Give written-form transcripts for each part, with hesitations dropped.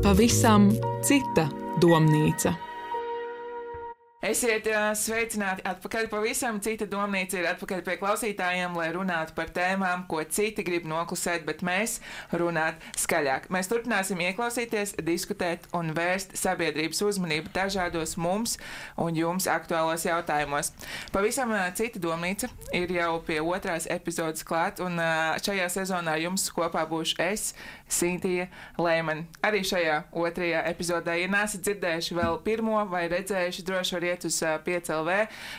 Pavisam cita domnīca. Esiet sveicināti atpakaļ. Pavisam cita domnīca ir atpakaļ pie klausītājiem, lai runātu par tēmām, ko citi grib noklusēt, bet mēs runāt skaļāk. Mēs turpināsim ieklausīties, diskutēt un vērst sabiedrības uzmanību dažādos mums un jums aktuālos jautājumos. Pavisam cita domnīca ir jau pie 2. epizodes klāt, un šajā sezonā jums kopā būšu es, Sintija Leimane. Arī šajā 2. epizodē, ja nesat dzirdējuši vēl pirmo vai redzējuši, droši var iet uz 5LV,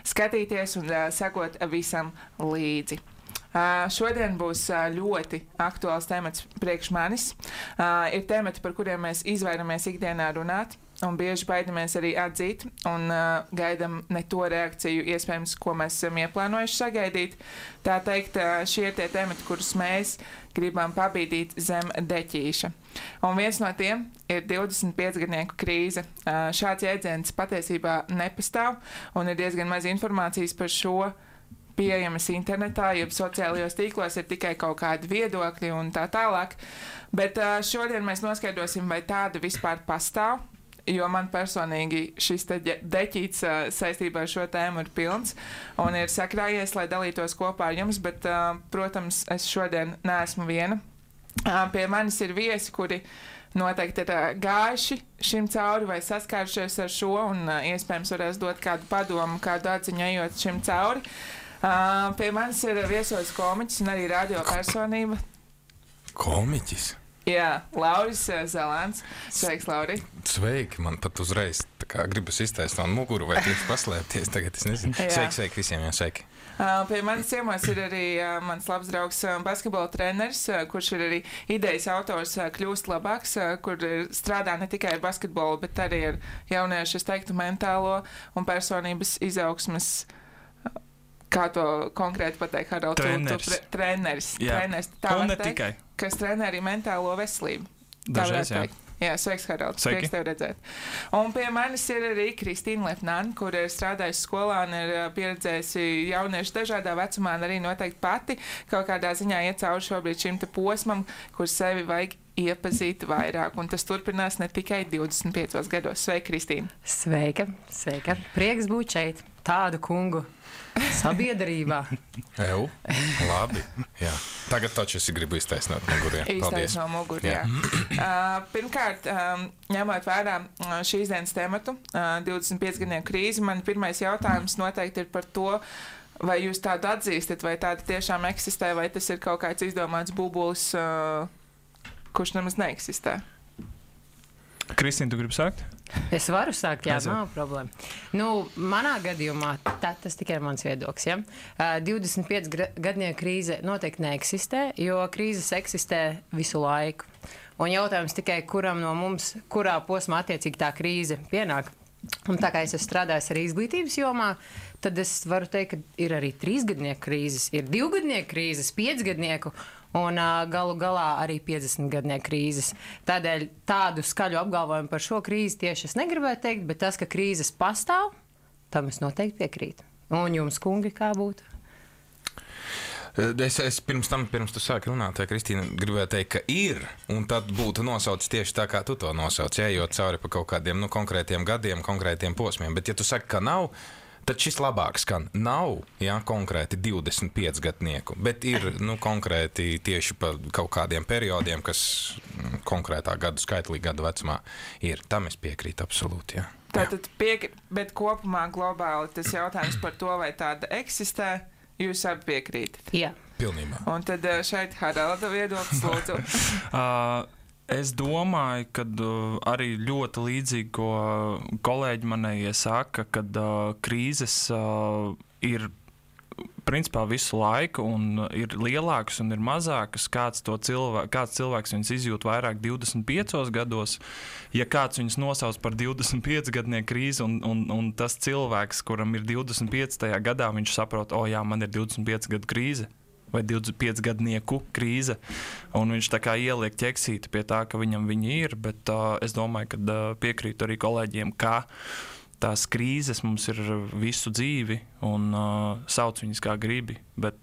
skatīties un sekot visam līdzi. Šodien būs ļoti aktuāls temats priekš manis. Ir temati, par kuriem mēs izvairamies ikdienā runāt, un bieži baidamies arī atzīt, un gaidam ne to reakciju, iespējams, ko mēs esam ieplānojuši sagaidīt. Tā teikt, šie ir tie temati, kurus mēs gribam pabīdīt zem deķīša. Un viens no tiem ir 25-gadnieku krīze. Šāds jēdziens patiesībā nepastāv, un ir diezgan maz informācijas par šo pieejamas internetā, jeb sociālajos tīklos ir tikai kaut kādi viedokļi un tā tālāk. Bet šodien mēs noskaidrosim, vai tāda vispār pastāv, jo man personīgi šis deķīts saistībā ar šo tēmu ir pilns un ir sakrājies, lai dalītos kopā ar jums, bet, protams, es šodien neesmu viena. Pie manis ir viesi, kuri noteikti ir gājuši šim cauri vai saskārušies ar šo un iespējams varēs dot kādu padomu, kādu atziņu ejot šim cauri. Pie manis ir viesojis komiķis un arī radio personība. Komiķis? Jā, Lauris Zalāns. Sveiks, Lauri. Sveiki, man pat uzreiz tā kā gribas iztaist no muguru vai tieši paslēpties, tagad es nezinu. Sveiki visiem, jā, sveiki. Pie manis ciemos ir arī mans labs draugs basketbola treneris, kurš ir arī idejas autors Kļūst labāks, kur strādā ne tikai ar basketbolu, bet arī ar jauniešu, es teiktu, mentālo un personības izaugsmes. Kā to konkrēti pateikt, Harald? Treneris. Tā un var ne teikt, tikai. Kas trenē arī mentālo veselību. Dažreiz, jā. Jā, sveiks, Harald. Prieks tev redzēt. Un pie manis ir arī Kristīna Lepnāne, kur ir strādājusi skolā un ir pieredzējusi jauniešu dažādā vecumā, un arī noteikti pati kaut kādā ziņā iet cauri šobrīd šim te posmam, kur sevi vajag iepazīt vairāk. Un tas turpinās ne tikai 25 gados. Sveika, Kristīna. Sveika. Prieks būt šeit. Tādu kungu sabiedrībā. Ew, labi. Jā. Tagad taču es gribu iztaisnot muguriem. Iztaisnot no muguriem. Pirmkārt, ņemot vērā šīs dienas tematu, 25-gadnieku krīzi, man pirmais jautājums noteikti ir par to, vai jūs tādu atzīstat, vai tāda tiešām eksistē, vai tas ir kaut kāds izdomāts bubulis, kurš nemaz neeksistē. Kristīna, tu gribi sākt? Es varu sākt, jā, nav problēma. Manā gadījumā tas tikai ir mans viedoklis. Ja? 25-gadnieku krīze noteikti neeksistē, jo krīzes eksistē visu laiku. Un jautājums tikai, kuram no mums, kurā posmā attiecīgi tā krīze pienāk. Un tā kā es esmu strādājis arī izglītības jomā, tad es varu teikt, ka ir arī 3-gadnieku krīzes, ir 2-gadnieku krīzes, 5-gadnieku un galu galā arī 50-gadnieku krīzes. Tādēļ tādu skaļu apgalvojumu par šo krīzi tieši es negribētu teikt, bet tas, ka krīzes pastāv, tam es noteikti piekrītu. Un jums, kungi, kā būtu? Es pirms tu sāki runāt, Kristīna, gribēju teikt, ka ir, un tad būtu nosaucis tieši tā, kā tu to nosauc, ejot cauri pa kaut kādiem konkrētiem gadiem, konkrētiem posmiem. Bet, ja tu saki, ka nav, tad šis labāk skan. Nav, jā, konkrēti 25-gadnieku, bet ir konkrēti tieši pa kaut kādiem periodiem, kas konkrētā gadu skaitlī gadu vecumā ir. Tam es piekrītu absolūti, jā. Tātad bet kopumā globāli tas jautājums par to, vai tāda eksistē, jūs abi piekrītat? Jā. Pilnībā. Un tad šeit Haralda viedoklis, lūdzu. Es domāju, ka arī ļoti līdzīgi, ko kolēģi manējie saka, kad krīzes ir principā visu laiku un ir lielākas un ir mazākas. Kāds cilvēks viņas izjūt vairāk 25 gados, ja kāds viņas nosauc par 25-gadnieku krīzi un tas cilvēks, kuram ir 25. gadā, viņš saprot, jā, man ir 25 gadu krīze vai 25-gadnieku krīze, un viņš tā kā ieliek ķeksīti pie tā, ka viņam viņi ir, bet es domāju, ka piekrītu arī kolēģiem, ka tās krīzes mums ir visu dzīvi un sauc viņas kā gribi, bet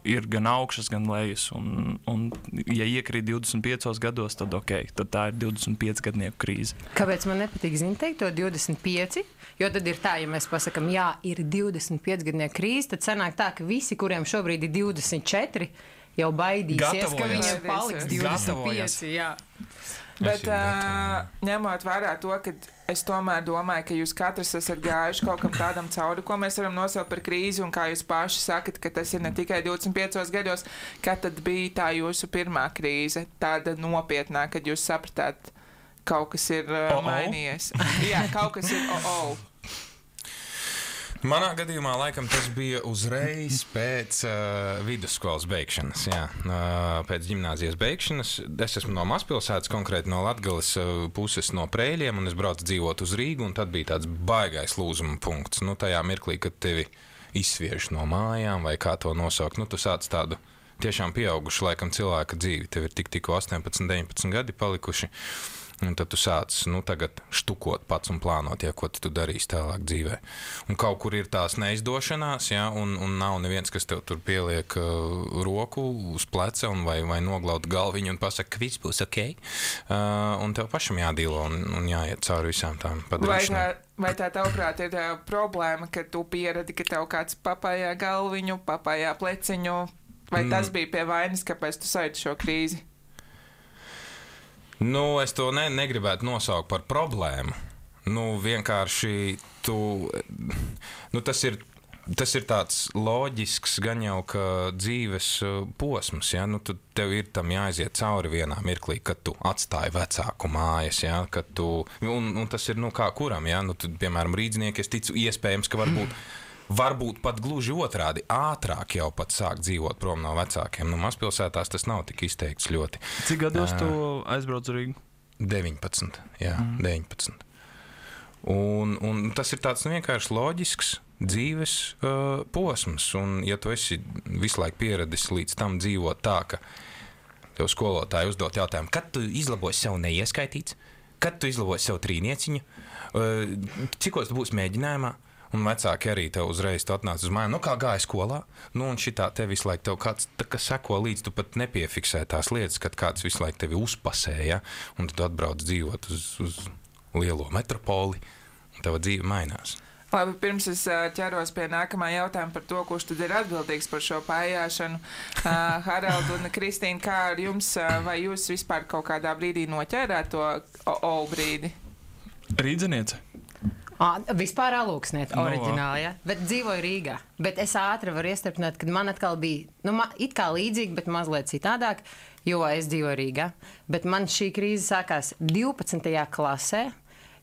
ir gan augšas, gan lejas. Un ja iekrīt 25 gados, tad tad tā ir 25 gadnieku krīze. Kāpēc man nepatīk teikt to 25? Jo tad ir tā, ja mēs pasakām, jā, ir 25 gadnieku krīze, tad sanāk tā, ka visi, kuriem šobrīd ir 24, jau baidīsies, ka viņiem paliks 25. Jā. Bet ņemot vērā to, ka es tomēr domāju, ka jūs katrs esat gājuši kaut kam tādam cauri, ko mēs varam nosaukt par krīzi, un kā jūs paši sakat, ka tas ir ne tikai 25 gados, kad tad bija tā jūsu pirmā krīze, tāda nopietnā, kad jūs sapratāt, kaut kas ir mainījies. Jā, kaut kas ir Manā gadījumā laikam tas bija uzreiz pēc vidusskolas beigšanas. Jā. Pēc ģimnāzijas beigšanas. Es esmu no mazpilsētas, konkrēti no Latgales puses no Prēļiem, un es braucu dzīvot uz Rīgu, un tad bija tāds baigais lūzuma punkts. Tajā mirklī, kad tevi izsviež no mājām, vai kā to nosaukt, tu sāc tādu tiešām pieaugušu laikam cilvēka dzīvi. Tev ir tikko 18, 19 gadi palikuši. Un tad tu sāc tagad štukot pats un plānot, ko tu darīsi tālāk dzīvē. Un kaut kur ir tās neizdošanās, ja, un nav neviens, kas tev tur pieliek roku uz pleca vai noglaut galviņu un pasaka, ka viss būs ok. Un tev pašam jādīlo un jāiet cauri visām tām padarīšanām. Vai tā tavuprāt ir problēma, ka tu pieredi, ka tev kāds papājā galviņu, papājā pleciņu, vai tas bija pie vainas, kāpēc tu saiti šo krīzi? Es to negribētu nosaukt par problēmu. Vienkārši tas ir tāds loģisks, gan jau ka dzīves posms. Ja? Tev ir tam jāiziet cauri vienā mirklī, kad tu atstāji vecāku mājas. Ja? Un tas ir kā kuram. Ja? Piemēram, rīdznieki, es ticu, iespējams, ka varbūt pat gluži otrādi, ātrāk jau pat sāk dzīvot prom no vecākiem. Mazpilsētās tas nav tik izteikts ļoti. Cik gados tu aizbrauc uz Rīgu? 19, jā, 19. Un tas ir tāds vienkārši loģisks dzīves posms. Un ja tu esi visu laiku pieradis līdz tam dzīvot tā, ka tev skolotāji uzdot jautājumu, kad tu izlabosi sev neieskaitīts, kad tu izlabosi sev trīnieciņu, cikos tu būsi mēģinājumā, un vecāki arī tev uzreiz atnāca uz mājām, kā gāja skolā, un šitā te visu laiku tev kāds seko līdz, tu pat nepiefiksē tās lietas, kad kāds visu laiku tevi uzpasē, ja? Un tu atbrauc dzīvot uz lielo metropoli, un tava dzīve mainās. Labi, pirms es ķeros pie nākamā jautājuma par to, kurš tad ir atbildīgs par šo pājāšanu. Harald un Kristīna, kā ar jums, vai jūs vispār kaut kādā brīdī noķērāt to brīdi? Rīdzeniece. Vispār alūksniet, oriģināli, ja? Bet dzīvoju Rīgā. Bet es ātri varu iestarpināt, kad man atkal bija, it kā līdzīgi, bet mazliet citādāk, jo es dzīvoju Rīgā. Bet man šī krīze sākās 12. klasē,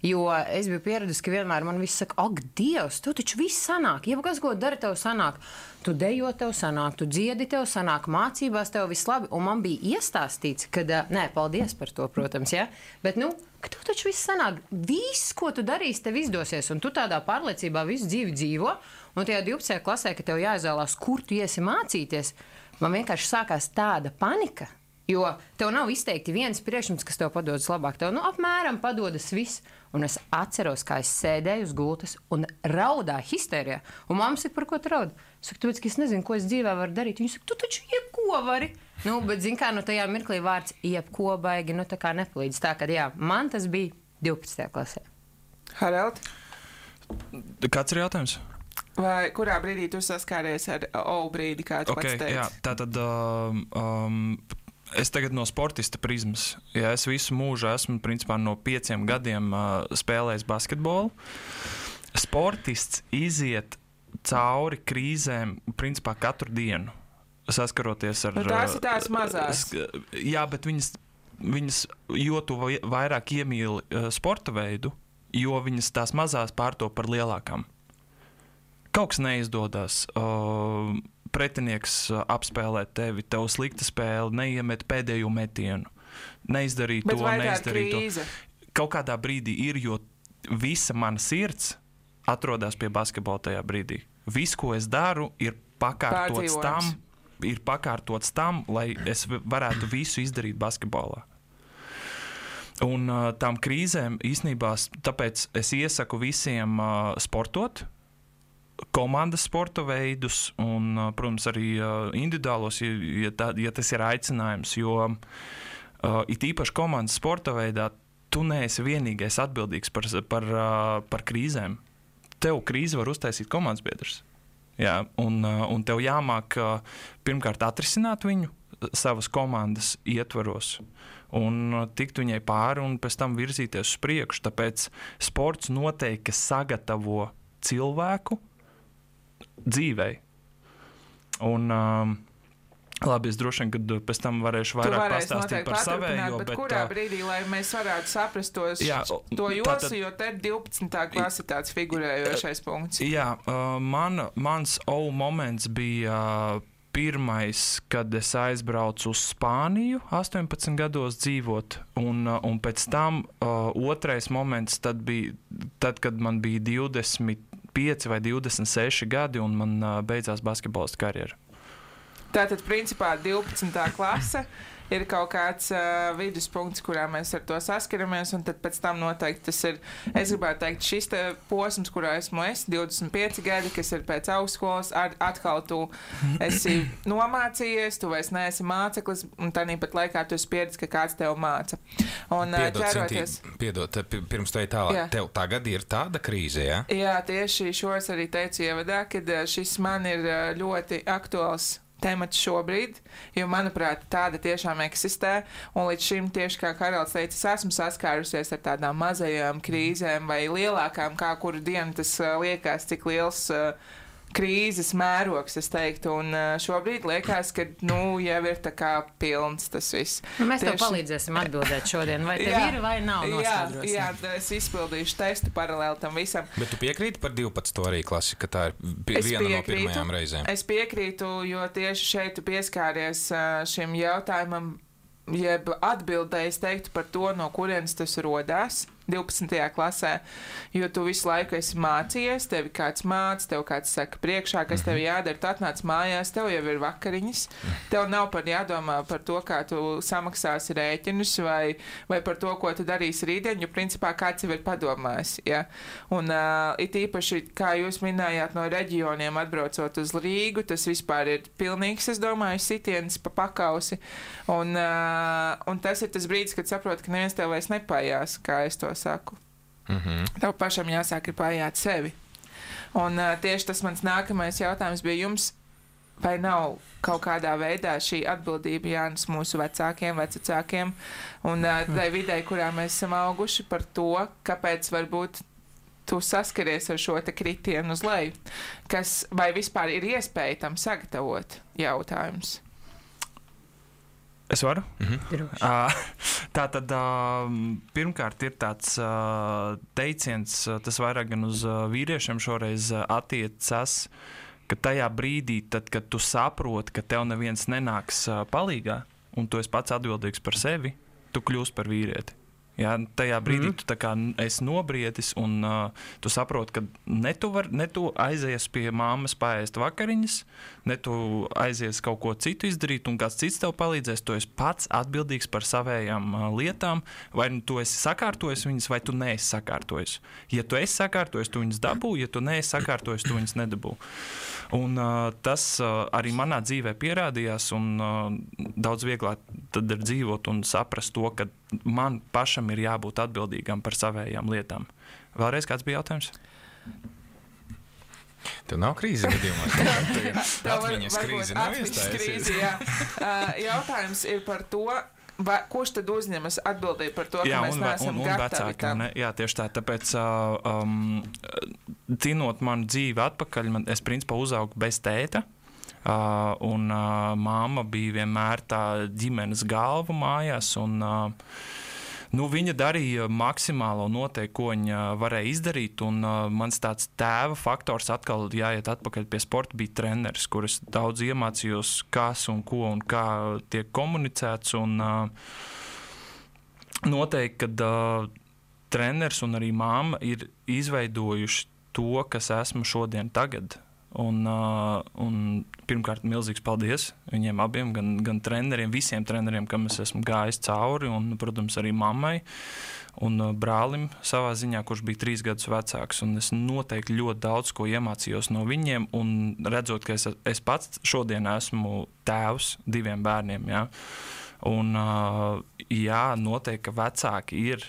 jo es biju pieradusi, ka vienmēr man viss saka, ak, Dievs, tu taču viss sanāk, jebkas, ko dara, tev sanāk. Tu dejo, tev sanāk, tu dziedi, tev sanāk, mācībās tev viss labi. Un man bija iestāstīts, ka, paldies par to, protams, ja? Bet, ka tu taču viss sanāk, viss, ko tu darīsi, tev izdosies. Un tu tādā pārliecībā visu dzīvi dzīvo. Un tajā 12. klasē, ka tev jāizvēlās, kur tu iesi mācīties, man vienkārši sākās tāda panika. Jo tev nav izteikti viens priekšmets, kas tev padodas labāk. Tev apmēram padodas viss. Un es atceros, kā es sēdēju uz gultas un raudāju histērijā. Un mamma saka, par ko tu raudi? Es saku, tāpēc, ka es nezinu, ko es dzīvē varu darīt. Viņa saka, tu taču jebko vari. Bet zin kā, tajā mirklī vārds jebko baigi, tā kā nepalīdz. Tā, kad man tas bija 12. klasē. Harald? Kāds ir jautājums? Vai kurā brīdī tu saskāries ar brīdi, kā tu pats teici? Jā, tātad... Es tagad no sportista prizmas. Ja es visu mūžu esmu principā no 5 gadiem spēlējis basketbolu. Sportists iziet cauri krīzēm principā katru dienu, saskaroties ar... Tās ir tās mazās. Jā, bet viņas jo tu vairāk iemīli sporta veidu, jo viņas tās mazās pārto par lielākām. Kaut kas neizdodas. Pretinieks apspēlē tevi, tev slikta spēle, neiemet pēdējo metienu, neizdarīt to, neizdarīt to. Kaut kādā brīdī ir, jo visa mana sirds atrodas pie basketbola tajā brīdī. Viss, ko es daru, ir pakārtots tam, lai es varētu visu izdarīt basketbolā. Un tām krīzēm īstenībā, tāpēc es iesaku visiem sportot, komandas sporta veidus un, protams, arī individuālos, ja tas ir aicinājums, jo it īpaši komandas sporta veidā tu neesi vienīgais atbildīgs par krīzēm. Tev krīzi var uztaisīt komandas biedrs. Jā, un tev jāmāk pirmkārt atrisināt viņu savas komandas ietvaros un tikt viņai pāri un pēc tam virzīties uz priekšu. Tāpēc sports noteikti sagatavo cilvēku dzīvei. Un labi, es droši vien, kad pēc tam varēšu vairāk pastāstīt par savējo. Bet kurā brīdī, lai mēs varētu saprast to josu, jo te 12. klase tāds figurējošais punkts. Jā, mans moments bija pirmais, kad es aizbraucu uz Spāniju 18 gados dzīvot, un pēc tam otrais moments tad, kad man bija 25 vai 26 gadi, un man beidzās basketbolista karjera. Tātad, principā, 12. klase ir kaut kāds viduspunkts, kurā mēs ar to saskaramies, un tad pēc tam noteikti tas ir, es gribētu teikt, šis te posms, kurā esmu 25 gadi, kas ir pēc augstskolas, atkal tu esi nomācījies, tu vairs neesi māceklis, un tāpat laikā tu esi pieredzis, ka kāds tev māca. Un Piedod, pirms tai tālāk, tev tagad ir tāda krīze, jā? Jā, tieši šo es arī teicu ievadā, kad šis man ir ļoti aktuāls temats šobrīd, jo, manuprāt, tāda tiešām eksistē, un līdz šim tieši kā Haralds teica, es esmu saskārusies ar tādām mazajām krīzēm vai lielākām, kā kuru dienu tas liekas, cik liels krīzes mērogs, es teiktu, un šobrīd liekas, ka, jau ir tā kā pilns tas viss. Mēs tev palīdzēsim atbildēt šodien, vai tev ir vai nav noskaidrosim. Jā, es izpildīšu testu paralēli tam visam. Bet tu piekrīti par 12. arī klasi, ka tā ir viena no pirmajām reizēm? Es piekrītu, jo tieši šeit tu pieskāries šim jautājumam, jeb atbildēji, es teiktu par to, no kurienes tas rodās 12. klasē, jo tu visu laiku esi mācījies, tevi kāds māca, tev kāds saka priekšā, kas tev jādara, tu atnāc mājās, tev jau ir vakariņas, tev nav par jādomā par to, kā tu samaksāsi rēķinus vai par to, ko tu darīsi rītdien, jo principā kāds jau ir padomājis, ja? Un it īpaši, kā jūs minējāt, no reģioniem atbraucot uz Rīgu, tas vispār ir pilnīgs, es domāju, sitiens pa pakausi, un tas ir tas brīdis, kad saproti, ka neviens tev vairs nepājās, kā es to saku. Tev pašam jāsāk ir pājāt sevi. Un tieši tas mans nākamais jautājums bija jums, vai nav kaut kādā veidā šī atbildība jānes mūsu vecākiem un tai videi, kurā mēs esam auguši par to, kāpēc varbūt tu saskaries ar šo te kritienu uz leju, kas vai vispār ir iespēja tam sagatavot jautājums. Es varu? Tā tad pirmkārt ir tāds teiciens, tas vairāk gan uz vīriešiem šoreiz attiecas, ka tajā brīdī, tad, kad tu saproti, ka tev neviens nenāks palīgā, un tu esi pats atbildīgs par sevi, tu kļūsi par vīrieti. Jā, tajā brīdī tu tā kā esi nobriedis un tu saproti, ka ne tu aizies pie māmas paēst vakariņas, ne tu aizies kaut ko citu izdarīt un kāds cits tev palīdzēs, tu esi pats atbildīgs par savējām lietām, vai tu esi sakārtojis viņas, vai tu neesi sakārtojis. Ja tu esi sakārtojis, tu viņas dabū, ja tu neesi sakārtojis, tu viņas nedabū. Un tas arī manā dzīvē pierādījās un daudz vieglāk tad ir dzīvot un saprast to, ka man pašam ir jābūt atbildīgam par savējām lietām. Vēlreiz kāds bija jautājums? Tev nav krīze gadījumā? Atmiņas krīze nav iestājusies. Jautājums ir par to, kurš tad uzņemas atbildību par to, ka mēs neesam gatavi tam? Jā, tieši tā. Tāpēc, cinot manu dzīvi atpakaļ, es principā uzaugu bez tēta. Un māma bija vienmēr tā ģimenes galva mājās, un viņa darīja maksimālo noteikti, ko viņa varēja izdarīt, un mans tāds tēva faktors atkal jāiet atpakaļ pie sporta bija treneris, kur es daudz iemācījos, kas un ko un kā tiek komunicēts, un noteikti, kad treneris un arī māma ir izveidojuši to, kas esmu šodien tagad. Un pirmkārt, milzīgs paldies viņiem abiem, gan treneriem, visiem treneriem, kam es esmu gājis cauri, un, protams, arī mammai. un brālim savā ziņā, kurš bija 3 gadus vecāks, un es noteikti ļoti daudz ko iemācījos no viņiem, un redzot, ka es pats šodien esmu tēvs 2 bērniem, jā. Un jā, noteikti, ka vecāki ir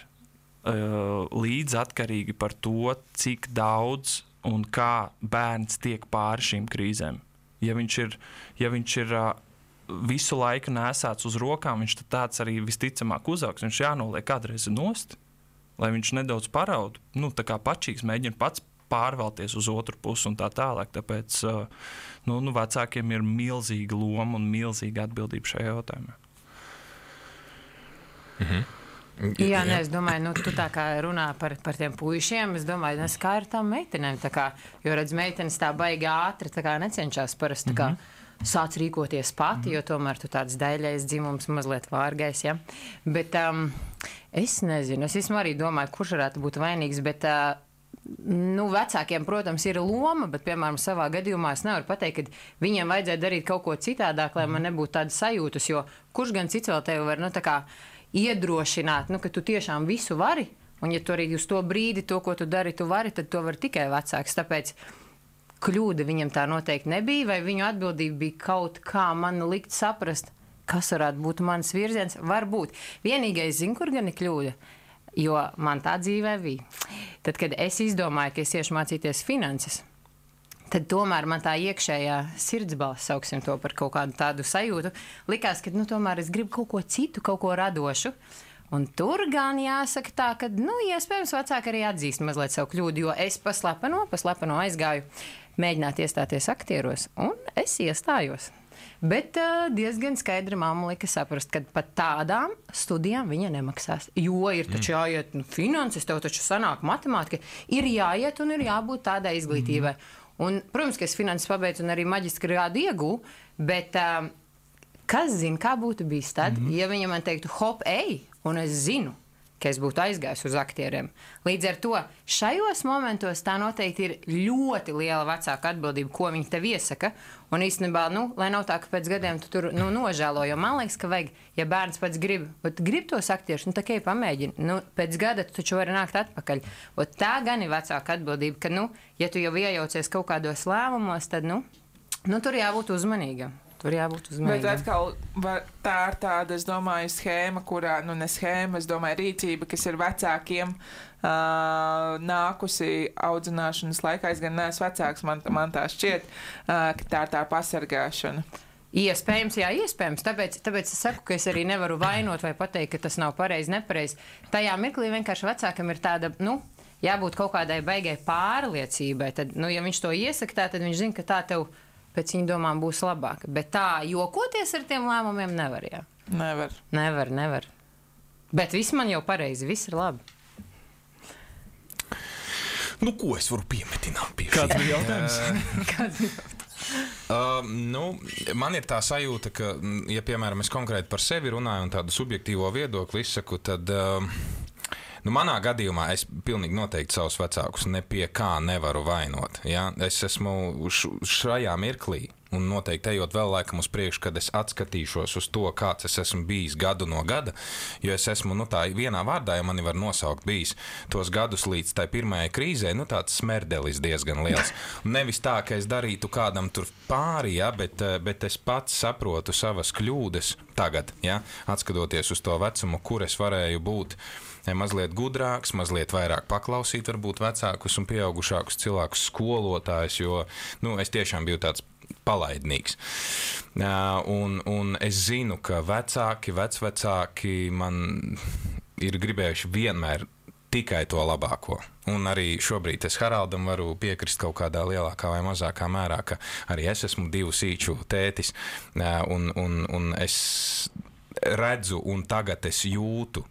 līdz atkarīgi par to, cik daudz un kā bērns tiek pāri šīm krīzēm. Ja viņš ir visu laiku nesāts uz rokām, viņš tad tāds arī visticamāk uzaugs. Viņš jānoliek kādreiz nost, lai viņš nedaudz paraud, tā kā pačīgs mēģina pats pārvalties uz otru pusi un tā tālāk. Tāpēc vecākiem ir milzīga loma un milzīga atbildība šajā jautājumā. Jā, es domāju, tu tā kā runā par tiem puišiem, es domāju, kā ar tām meitenēm, jo redz, meitenes tā baigi ātri, necenšas parasti, sāc rīkoties pati, jo tomēr tu tāds daļais dzimums mazliet vārgais, ja. Bet es nezinu, es vismaz arī domāju, kurš varētu būt vainīgs, bet vecākiem, protams, ir loma, bet, piemēram, savā gadījumā es nevaru pateikt, ka viņiem vajadzēja darīt kaut ko citādāk, lai man nebūtu tādas sajūtas, jo kurš gan cits vēl tevi var, iedrošināt, ka tu tiešām visu vari, un ja tu arī uz to brīdi, to, ko tu dari, tu vari, tad to var tikai vecāks. Tāpēc kļūda viņam tā noteikti nebija, vai viņu atbildība bija kaut kā man likt saprast, kas varētu būt mans virziens. Varbūt. Vienīgais zinu, kur gan ir kļūda, jo man tā dzīvē bija. Tad, kad es izdomāju, ka es iešu mācīties finanses, tad tomēr man tā iekšējā sirdsbalss, sauksim to par kaut kādu tādu sajūtu, likās, ka tomēr es gribu kaut ko citu, kaut ko radošu. Un tur gan jāsaka tā, ka, iespējams, vecāki arī atzīst mazliet savu kļūdu, jo es paslepeno aizgāju mēģināt iestāties aktieros, un es iestājos. Bet diezgan skaidri mamma lika saprast, ka pat tādām studijām viņa nemaksās. Jo ir taču jāiet finanses, tev taču sanāk matemātika, ir jāiet un ir jābūt tādai izglītībai. Un, protams, ka es finanses pabeidzu un arī maģistra grādu iegūju, bet kas zina, kā būtu bijis tad, ja viņa man teiktu, hop, ej, un es zinu, ka es būtu aizgājis uz aktieriem. Līdz ar to šajos momentos tā noteikti ir ļoti liela vecāka atbildība, ko viņi tev iesaka. Un īstenībā, lai nav tā, ka pēc gadiem tu tur nožēlo, jo man liekas, ka vajag, ja bērns pats grib tos aktierus, tā kā pamēģini, pēc gada tu taču vari nākt atpakaļ. Tā gan ir vecāka atbildība, ka, ja tu jau iejaucies kaut kādos lēmumos, tad, tur jābūt uzmanīgam. Bet atkal tā ir tāda, es domāju, schēma, kurā, ne schēma, es domāju, rīcība, kas ir vecākiem nākusi audzināšanas laikā. Es gan neesmu vecāks, man tā šķiet, ka tā ir tā pasargāšana. Iespējams, jā, iespējams. Tāpēc es saku, ka es arī nevaru vainot vai pateikt, ka tas nav pareizi, nepareizi. Tajā mirklī vienkārši vecākam ir tāda, jābūt kaut kādai baigai pārliecībai. Tad, ja viņš to iesaka tā, tad viņš zina, ka tā tev pēc viņa domām būs labāk. Bet tā jokoties ar tiem lēmumiem nevar, jā. Nevar. Bet viss man jau pareizi, viss ir labi. Ko es varu piemetināt pie šī? Kāds bija jautājums? Man ir tā sajūta, ka, ja, piemēram, es konkrēti par sevi runāju un tādu subjektīvo viedokli izsaku, tad manā gadījumā es pilnīgi noteikti savus vecākus ne pie kā nevaru vainot. Ja? Es esmu šajā mirklī, un noteikti ejot vēl laikam uz priekšu, kad es atskatīšos uz to, kāds es esmu bijis gadu no gada, jo es esmu, tā vienā vārdā, ja mani var nosaukt, bijis tos gadus līdz tai pirmajai krīzē, tāds smerdelis diezgan liels. Nevis tā, ka es darītu kādam tur pāri, ja, bet es pats saprotu savas kļūdas tagad, ja, atskatoties uz to vecumu, kur es varēju būt mazliet gudrāks, mazliet vairāk paklausīt varbūt vecākus un pieaugušākus cilvēkus, skolotājus, jo, es tiešām biju tāds palaidnīgs. Un es zinu, ka vecvecāki man ir gribējuši vienmēr tikai to labāko. Un arī šobrīd es Haraldam varu piekrist kaut kādā lielākā vai mazākā mērā, ka arī es esmu 2 sīču tētis, un es redzu un tagad es jūtu,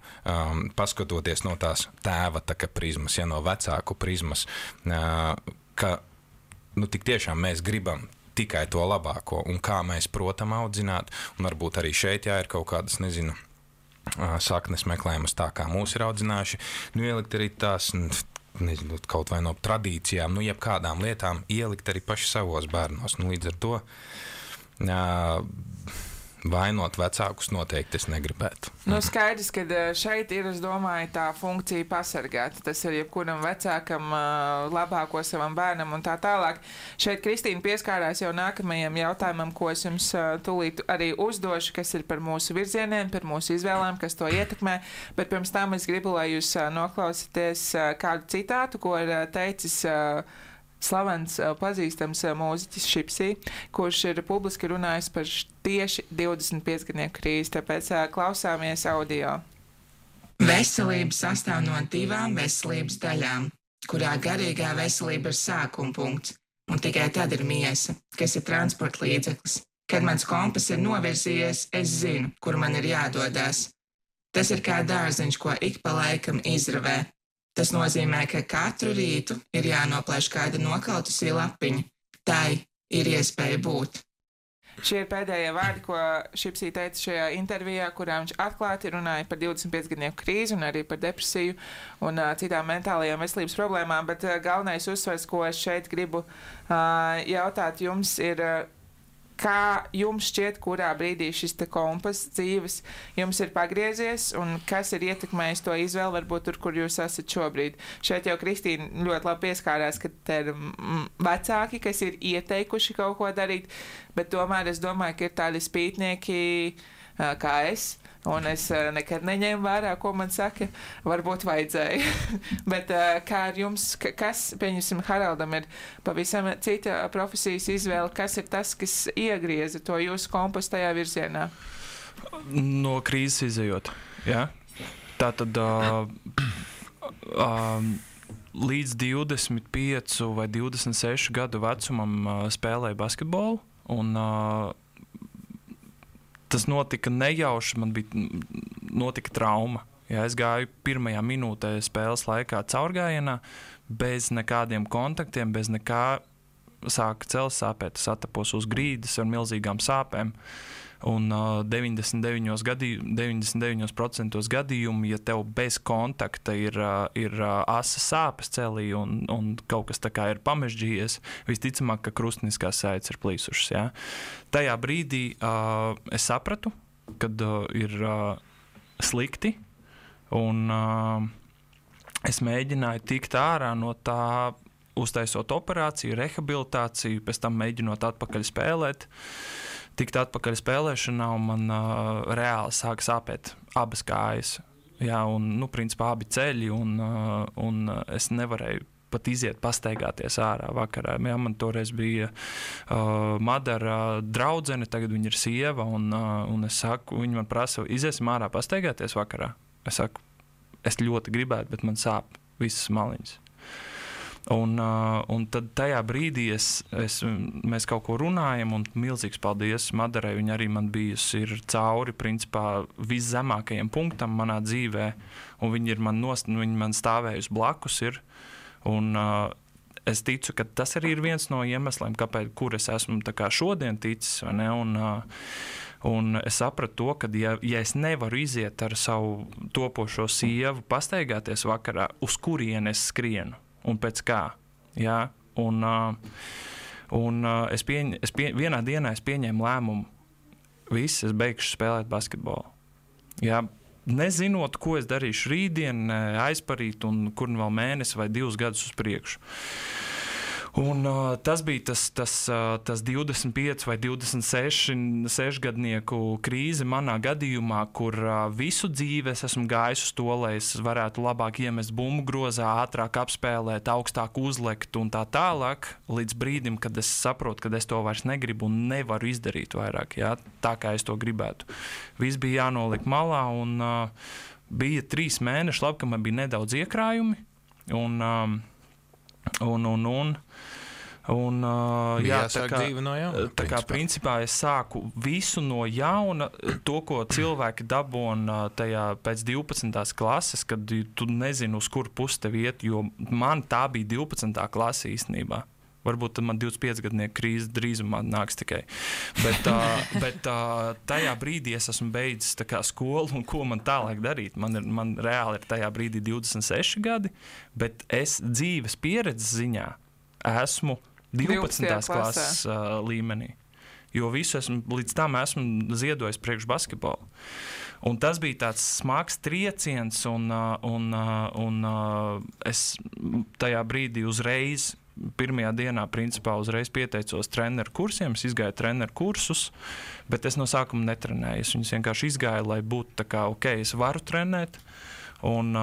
paskatoties no tās tēva prizmas, ja no vecāku prizmas, ka tik tiešām mēs gribam tikai to labāko un kā mēs protam audzināt, un varbūt arī šeit ir kaut kādas, saknes meklējumas tā, kā mūs ir audzinājuši, ielikt arī tās, kaut vai no tradīcijām, jebkādām lietām ielikt arī paši savos bērnos. Līdz ar to Vainot vecākus noteikti es negribētu. Skaidrs, ka šeit ir, es domāju, tā funkcija pasargāt. Tas ir jebkuram vecākam labāko savam bērnam un tā tālāk. Šeit Kristīna pieskārās jau nākamajam jautājumam, ko es jums tūlīt arī uzdošu, kas ir par mūsu virzieniem, par mūsu izvēlēm, kas to ietekmē. Bet pirms tam es gribu, lai jūs noklausieties kādu citātu, ko ir teicis slavens, pazīstams mūziķis Šipsī, kurš ir publiski runājis par tieši 25-gadnieku krīzi, tāpēc klausāmies audio. Veselība sastāv no 2 veselības daļām, kurā garīgā veselība ir sākuma punkts, un tikai tad ir miesa, kas ir transporta līdzeklis. Kad mans kompas ir novirzījies, es zinu, kur man ir jādodās. Tas ir kā dārziņš, ko ik pa laikam izravē. Tas nozīmē, ka katru rītu ir jānoplēš kāda nokautusī lapiņa. Tai ir iespēja būt. Šie ir pēdējie vārdi, ko Šipsī teica šajā intervijā, kurā viņš atklāti runāja par 25-gadnieku krīzi un arī par depresiju un citām mentālajām veselības problēmām, bet galvenais uzsvars, ko es šeit gribu jautāt jums, ir, kā jums šķiet, kurā brīdī šis te kompas dzīves jums ir pagriezies un kas ir ietekmējis to izvēli, varbūt tur, kur jūs esat šobrīd. Šeit jau Kristīna ļoti labi pieskārās, ka te ir vecāki, kas ir ieteikuši kaut ko darīt, bet tomēr es domāju, ka ir tādi spītnieki kā es, un es nekad neņēmu vērā, ko man saka, varbūt vajadzēja. Bet kā ar jums, kas, pieņemsim, Haraldam ir pavisam cita profesijas izvēle, kas ir tas, kas iegrieza to jūsu kompasu tajā virzienā? No krīzes izejot, jā. Tātad līdz 25 vai 26 gadu vecumam spēlēju basketbolu, un tas notika nejauši, man notika trauma. Ja, es gāju pirmajā minūtē spēles laikā caurgājienā, bez nekādiem kontaktiem, bez nekā, sāka ceļš sāpēt. Es atapos uz grīdas ar milzīgām sāpēm. Un 99% gadījumu, ja tev bez kontakta ir asas sāpes celī un kaut kas tā kā ir pamežģījies, visticamāk, ka krustniskās saites ir plīsušas. Ja? Tajā brīdī es sapratu, kad ir slikti, un es mēģināju tikt ārā no tā, uztaisot operāciju, rehabilitāciju, pēc tam mēģinot atpakaļ spēlēt. Tikt atpakaļ spēlēšanā, un man reāli sāka sāpēt abas kājas. Jā, un, principā, abi ceļi, un es nevarēju pat iziet pastaigāties ārā vakarā. Jā, man toreiz bija Madara draudzene, tagad viņa ir sieva, un es saku, viņa man prasa, iziesim ārā pastaigāties vakarā. Es saku, es ļoti gribētu, bet man sāp visas maliņas. Un tad tajā brīdī mēs kaut ko runājam, un milzīgs paldies Madarai. Viņa arī man bijusi ir cauri, principā, viszemākajiem punktam manā dzīvē, un viņa ir viņa man stāvējusi blakus ir, un es ticu, ka tas arī ir viens no iemesliem, kāpēc, kur es esmu tā kā šodien ticis, vai ne, un es sapratu to, ka ja es nevaru iziet ar savu topošo sievu pastaigāties vakarā, uz kurienu es skrienu, un pēc kā, jā, un vienā dienā es pieņēmu lēmumu, es beigšu spēlēt basketbolu, jā, nezinot, ko es darīšu rītdien, aizparīt, un kur vēl mēnesi vai 2 gadus uz priekšu. Un tas bija tas 25 vai 26 gadnieku krīze manā gadījumā, kur visu dzīvi es esmu gājis uz to, lai es varētu labāk iemest bumbu grozā, ātrāk apspēlēt, augstāk uzlekt un tā tālāk, līdz brīdim, kad es saprotu, ka es to vairs negribu un nevaru izdarīt vairāk, jā, tā kā es to gribētu. Viss bija jānoliek malā, un bija 3 mēneši, labi, ka man bija nedaudz iekrājumi, jā, tā kā principā es sāku visu no jauna, to, ko cilvēki dabūna tajā pēc 12. klases, kad tu nezini, uz kur pusi tev iet, jo man tā bija 12. klase īstenībā. Varbūt tad man 25 gadnieku krīze drīzumā nāks tikai. Bet tajā brīdī es esmu beidzis tā kā skolu, un ko man tālāk darīt? Man reāli ir tajā brīdī 26 gadi, bet es dzīves pieredzes ziņā esmu 12. klases līmenī. jo līdz tam esmu ziedojis priekš basketbolu. Un tas bija tāds smags trieciens, un es tajā brīdī uzreiz, pirmajā dienā, principā, uzreiz pieteicos treneru kursiem, es izgāju treneru kursus, bet es no sākuma netrenēju. Es viņus vienkārši izgāju, lai būtu tā kā, ok, es varu trenēt, un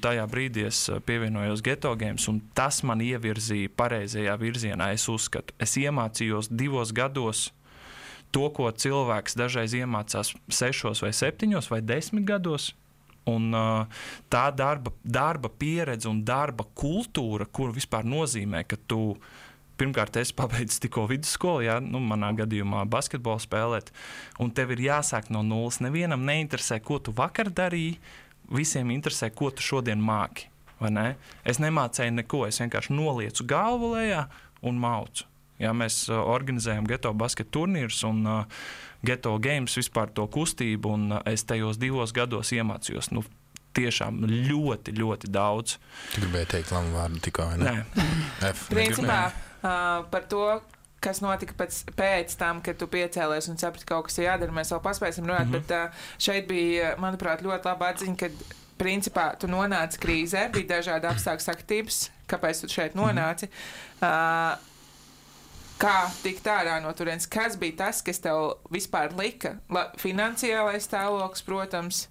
tajā brīdī es pievienojos Geto Games, un tas man ievirzīja pareizajā virzienā, es uzskatu. Es iemācījos 2 gados to, ko cilvēks dažreiz iemācās 6 vai 7 vai 10 gados, un tā darba pieredze un darba kultūra, kuru vispār nozīmē, ka tu pirmkārt esi pabeidzis tikko vidusskolu, manā gadījumā basketbolu spēlēt, un tev ir jāsāk no nulles. Nevienam neinteresē, ko tu vakar darīji, visiem interesē, ko tu šodien māki, vai ne? Es nemācēju neko, es vienkārši noliecu galvu lejā un maucu. Ja, mēs organizējam Geto basket turnīrus un Geto Games vispār to kustību, un es tajos 2 gados iemācījos, tiešām ļoti, ļoti daudz. Tu gribēji teikt lamu vārdu tikko, vai ne? Nē. Principā par to, kas notika pēc tam, kad tu piecēlies un saprati, ka kaut kas ir jādara, mēs vēl paspēsim runāt, bet šeit bija, manuprāt, ļoti laba atziņa, kad principā tu nonāci krīzē, bija dažādi apstākļu saktības, kāpēc tu šeit nonāci. Kā tikt ārā no turienes? Kas bija tas, kas tev vispār lika? Finansiālais stāvoklis, protams.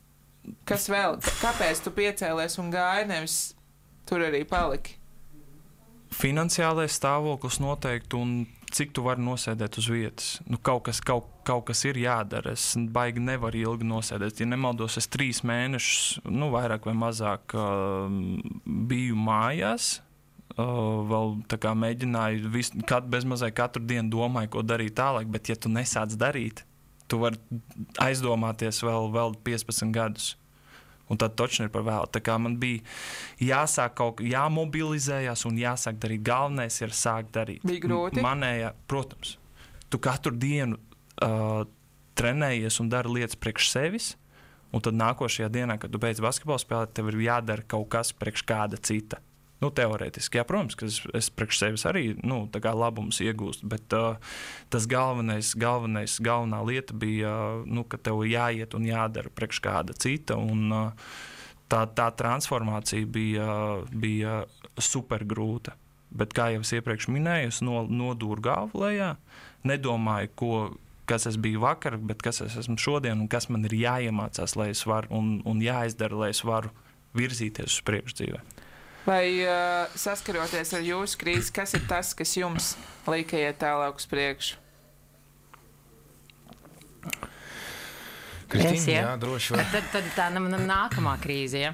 Kas vēl? Kāpēc tu piecēlies un gāji, nevis tur arī paliki? Finansiālais stāvoklis noteikti, un cik tu vari nosēdēt uz vietas. Kaut kas ir jādara. Es baigi nevaru ilgi nosēdēt. Ja nemaldos, es 3 mēnešus, vairāk vai mazāk biju mājās. Vēl tā kā mēģināju bezmazliet katru dienu domāju, ko darīt tālāk, bet ja tu nesāc darīt, tu vari aizdomāties vēl 15 gadus. Un tad točni ir par vēlu. Tā kā man bija jāsāk jāmobilizējās un jāsāk darīt. Galvenais ir sākt darīt. Bija grūti? Protams. Tu katru dienu trenējies un dari lietas priekš sevis, un tad nākošajā dienā, kad tu beidz basketbolu spēlēt, tev ir jādara kaut kas priekš kāda cita. Teorētiski, jā, protams, ka es priekš sevis arī, tā kā labumus iegūstu, bet tas galvenā lieta bija, ka tev jāiet un jādara priekš kāda cita, un tā transformācija bija super grūta. Bet, kā jau es iepriekš minēju, es nodūru galvu lejā, nedomāju, kas es biju vakar, bet kas es esmu šodien, un kas man ir jāiemācās, lai es varu, un jāizdara, lai es varu virzīties uz priekšu dzīvē. Vai saskaroties ar jūsu krīzi, kas ir tas, kas jums lika iet tālāk uz priekšu? Kristīna, jā, droši var. Tad tā nākamā krīze, ja?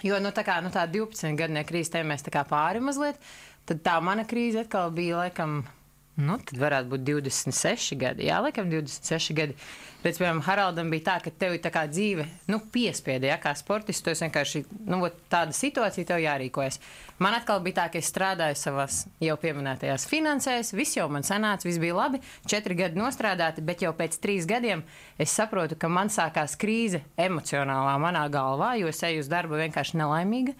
Jo, tā 12-gadnie krīze, te mēs tā kā pāri mazliet, tad tā mana krīze atkal bija, laikam, tad varētu būt 26 gadi. Jā, laikam 26 gadi. Bet, piemēram, Haraldam bija tā, ka tev ir tā kā dzīve, piespieda, ja, kā sportists, tu esi vienkārši, tāda situācija tev jārīkojas. Man atkal bija tā, ka es strādāju savās jau pieminētajās finansēs, viss jau man sanāca, viss bija labi, 4 gadi nostrādāti, bet jau pēc 3 gadiem es saprotu, ka man sākās krīze emocionālā manā galvā, jo es eju uz darbu vienkārši nelaimīga.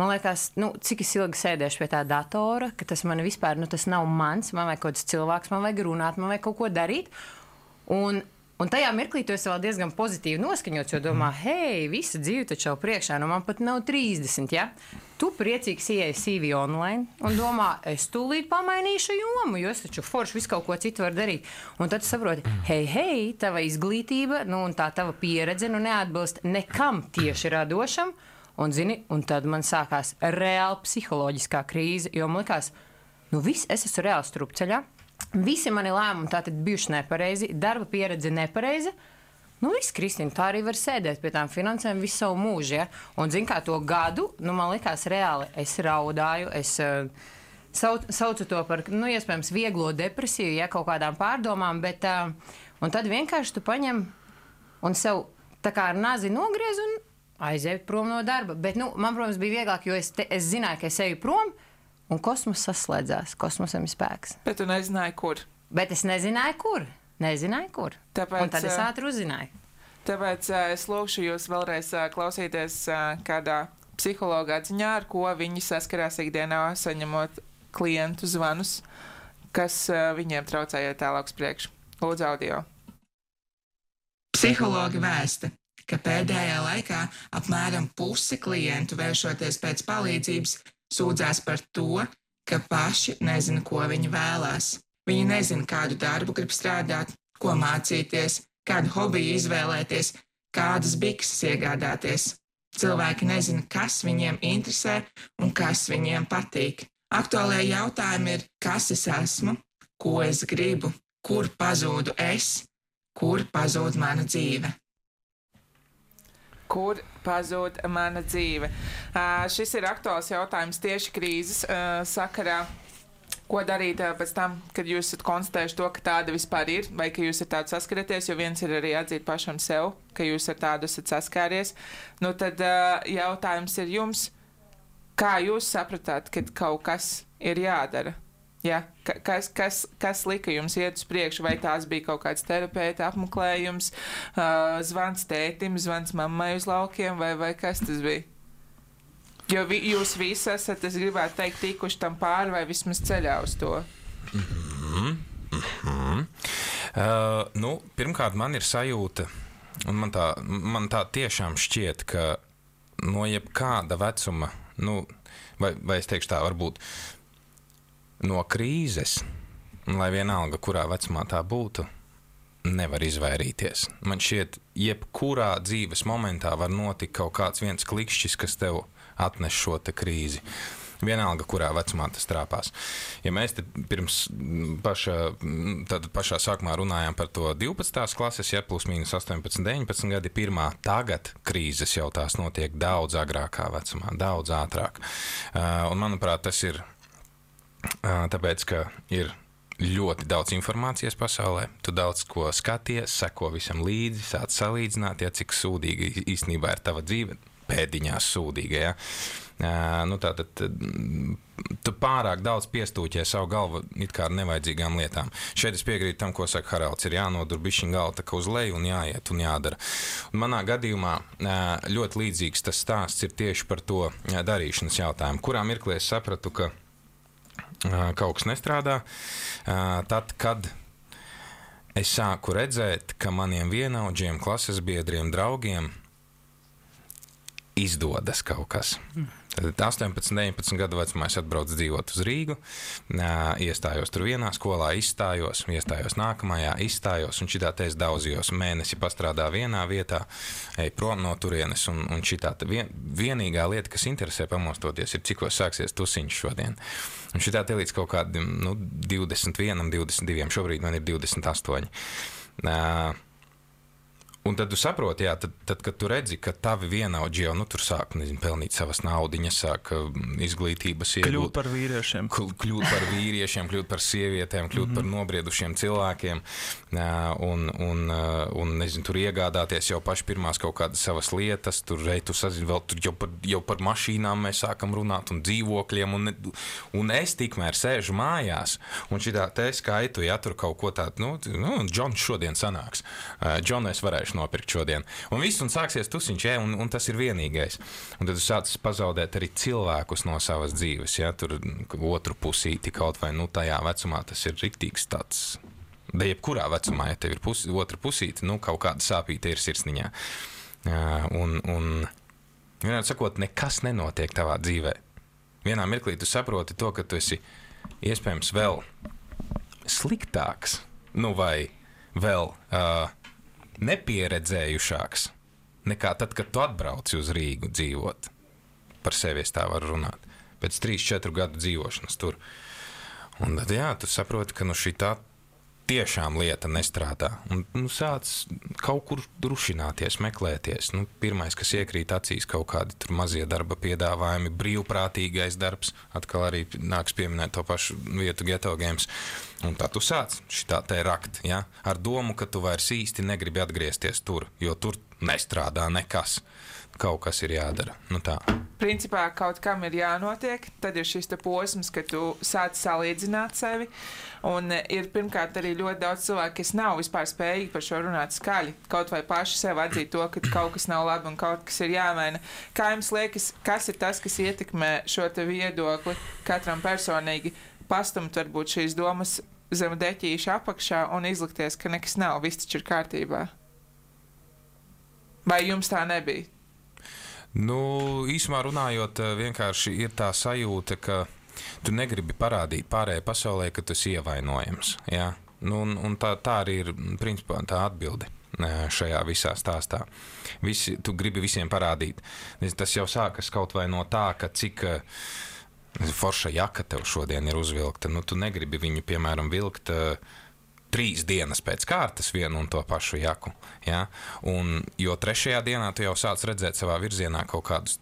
Man liekas, cik es ilgi sēdēšu pie tā datora, ka tas man vispār, tas nav mans, man vajag kaut kāds cilvēks, man vajag runāt, man vajag kaut ko darīt. Un tajā mirklī tu esi vēl diezgan pozitīvi noskaņots, jo domā, hei, visa dzīve taču jau priekšā, man pat nav 30, ja? Tu priecīgs ieej CV online un domā, es tūlīt pamainīšu jomu, jo es taču forši visu kaut ko citu var darīt. Un tad tu saproti, hei, tava izglītība, un tā tava pieredze, neatbilst nekam tieši radošam, un zini, un tad man sākās reāli psiholoģiskā krīze, jo man likās, viss, es esmu reāli strupceļā. Visi mani lēmumi tātad bijuši nepareizi, darba pieredze nepareiza. Viss, Kristīna, tā arī var sēdēt pie tām finansēm visu savu mūžu, ja? Un, zin kā, to gadu, man likās reāli, es raudāju, es saucu to par, iespējams, vieglo depresiju, ja, kaut kādām pārdomām, bet, un tad vienkārši tu paņem un sev tā kā ar nazi nogriez un aizēju prom no darba. Bet, man, protams, bija vieglāk, jo es zināju, ka es eju prom, un kosmos saslēdzās, kosmosam ir spēks. Bet tu nezināji, kur? Bet es nezināju, kur. Tāpēc, un tad es ātri uzzināju. Tāpēc es lūkšu jūs vēlreiz klausīties kādā psihologa atziņā, ar ko viņi saskarās ikdienā, saņemot klientu zvanus. kas viņiem traucēja tālāk uz priekšu. Lūdzu, audio. Psihologi vēsta, ka pēdējā laikā apmēram puse klientu vēršoties pēc palīdzības sūdzās par to, ka paši nezina, ko viņi vēlās. Viņi nezina, kādu darbu grib strādāt, ko mācīties, kādu hobiju izvēlēties, kādas bikses iegādāties. Cilvēki nezina, kas viņiem interesē un kas viņiem patīk. Aktuālie jautājumi ir, kas es esmu, ko es gribu, kur pazūdu es, kur pazūd mana dzīve. Kur pazūd mana dzīve? Šis ir aktuāls jautājums tieši krīzes sakarā. Ko darīt pēc tam, kad jūs esat konstatējuši to, ka tāda vispār ir, vai ka jūs ar tādu saskaraties, jo viens ir arī atzīt pašam sev, ka jūs ar tādu esat saskāries. Nu tad jautājums ir jums, kā jūs sapratāt, kad kaut kas ir jādara? Ja? Kas lika jums iet uz priekšu, vai tās bija kaut kāds terapeita apmeklējums, zvans tētim, zvans mammai uz laukiem, vai kas tas bija? Jo jūs visi esat, es gribētu teikt, tikuši tam pāri vai vismaz ceļā uz to. Pirmkārt, man ir sajūta, un man tā tiešām šķiet, ka no jebkāda vecuma, vai es teikšu tā, varbūt no krīzes, lai vienalga, kurā vecumā tā būtu, nevar izvairīties. Man šķiet, jebkurā dzīves momentā var notikt kaut kāds viens klikšķis, kas tev atnes šo te krīzi. Vienalga, kurā vecumā tas trāpās. Ja mēs te pirms pašā sākumā runājām par to 12. klases, ja plus mīnus 18, 19 gadi pirmā, tagad krīzes jau tās notiek daudz agrākā vecumā, daudz ātrāk. Un manuprāt, tas ir tāpēc, ka ir ļoti daudz informācijas pasaulē, tu daudz ko skaties, seko visam līdzi, sāc salīdzināt, ja cik sūdīga īstenībā ir tava dzīve, pēdiņās sūdīga, ja. Tātad tu pārāk daudz piestūķē savu galvu it kā ar nevajadzīgām lietām. Šeit es piekrītu tam, ko saka Haralds, ir jānodur bišķiņ galva tā kā uz leju un jāiet un jādara. Un manā gadījumā ļoti līdzīgs tas stāsts ir tieši par to darīšanas jautājumu, kurā mirklī es sapratu, ka kaut kas nestrādā, tad, kad es sāku redzēt, ka maniem vienaudžiem, klases biedriem, draugiem izdodas kaut kas. Tad 18, 19 gadu vecumā es atbraucu dzīvot uz Rīgu, iestājos tur vienā skolā, izstājos nākamajā, izstājos, un šitā te es daudzījos. Mēnesi pastrādā vienā vietā, ej prom no turienes, un šitā vienīgā lieta, kas interesē pamostoties, ir cikos sāksies tusiņš šodien. Un šitā te līdz kaut kādiem 21, 22, šobrīd man ir 28. Un tad tu saproti, jā, tad, kad tu redzi, ka tavi vienaudži jau tur sāk, pelnīt savas naudiņas, sāk izglītības iegūt. Kļūt par vīriešiem. Kļūt par sievietēm, kļūt par nobriedušiem cilvēkiem, un nezinu, tur iegādāties jau paši pirmās kaut kādas savas lietas, tur tu sazini, vēl tur jau par mašīnām mēs sākam runāt un dzīvokļiem, un es tikmēr sēžu mājās, un šitā te skaitu, ja tur kaut ko tādu, Džons šodien sanāks, Džonu es varēšu nopirkt šodien. Un viss, un sāksies tusiņš, un tas ir vienīgais. Un tad tu sāc pazaudēt arī cilvēkus no savas dzīves, ja, tur otru pusīti kaut vai, tajā vecumā tas ir riktīgs tāds, da jebkurā vecumā, ja tev ir otra pusīti, kaut kāda sāpīte ir sirsniņā. Un vienādi sakot, nekas nenotiek tavā dzīvē. Vienā mirklī tu saproti to, ka tu esi iespējams vēl sliktāks, vai vēl nepieredzējušāks nekā tad, kad tu atbrauci uz Rīgu dzīvot. Par sevi es tā varu runāt. Pēc 3-4 gadu dzīvošanas tur. Un tad, jā, tu saproti, ka šitā tiešām lieta nestrādā. Un sāc kaut kur drušināties, meklēties. Pirmais, kas iekrīt acīs, kaut kādi tur mazie darba piedāvājumi, brīvprātīgais darbs, atkal arī nāks pieminēt to pašu vietu Ghetto Games. Un tā tu sāc šitā te rakt, ja? Ar domu, ka tu vairs īsti negribi atgriezties tur, jo tur nestrādā nekas. Kaut kas ir jādara. Tā. Principā kaut kam ir jānotiek, tad ir šis te posms, ka tu sāc salīdzināt sevi, un ir pirmkārt arī ļoti daudz cilvēku, kas nav vispār spējīgi par šo runāt skaļi, kaut vai paši sev atzīt to, ka kaut kas nav labi un kaut kas ir jāmaina. Kā jums liekas, kas ir tas, kas ietekmē šo te viedokli katram personīgi? pastumt varbūt šīs domas zem deķīša apakšā un izlikties, ka nekas nav, viss taču ir kārtībā? Vai jums tā nebija? Nu, īsumā runājot, vienkārši ir tā sajūta, ka tu negribi parādīt pārējai pasaulē, ka tu esi ievainojams. Ja? Nu, un tā arī ir principā tā atbilde šajā visā stāstā. Tu gribi visiem parādīt. Tas jau sākas kaut vai no tā, ka cik forša jaka tev šodien ir uzvilkta. Nu, tu negribi viņu, piemēram, vilkt 3 dienas pēc kārtas vienu un to pašu jaku. Ja? Jo 3. dienā tu jau sāc redzēt savā virzienā kaut kādus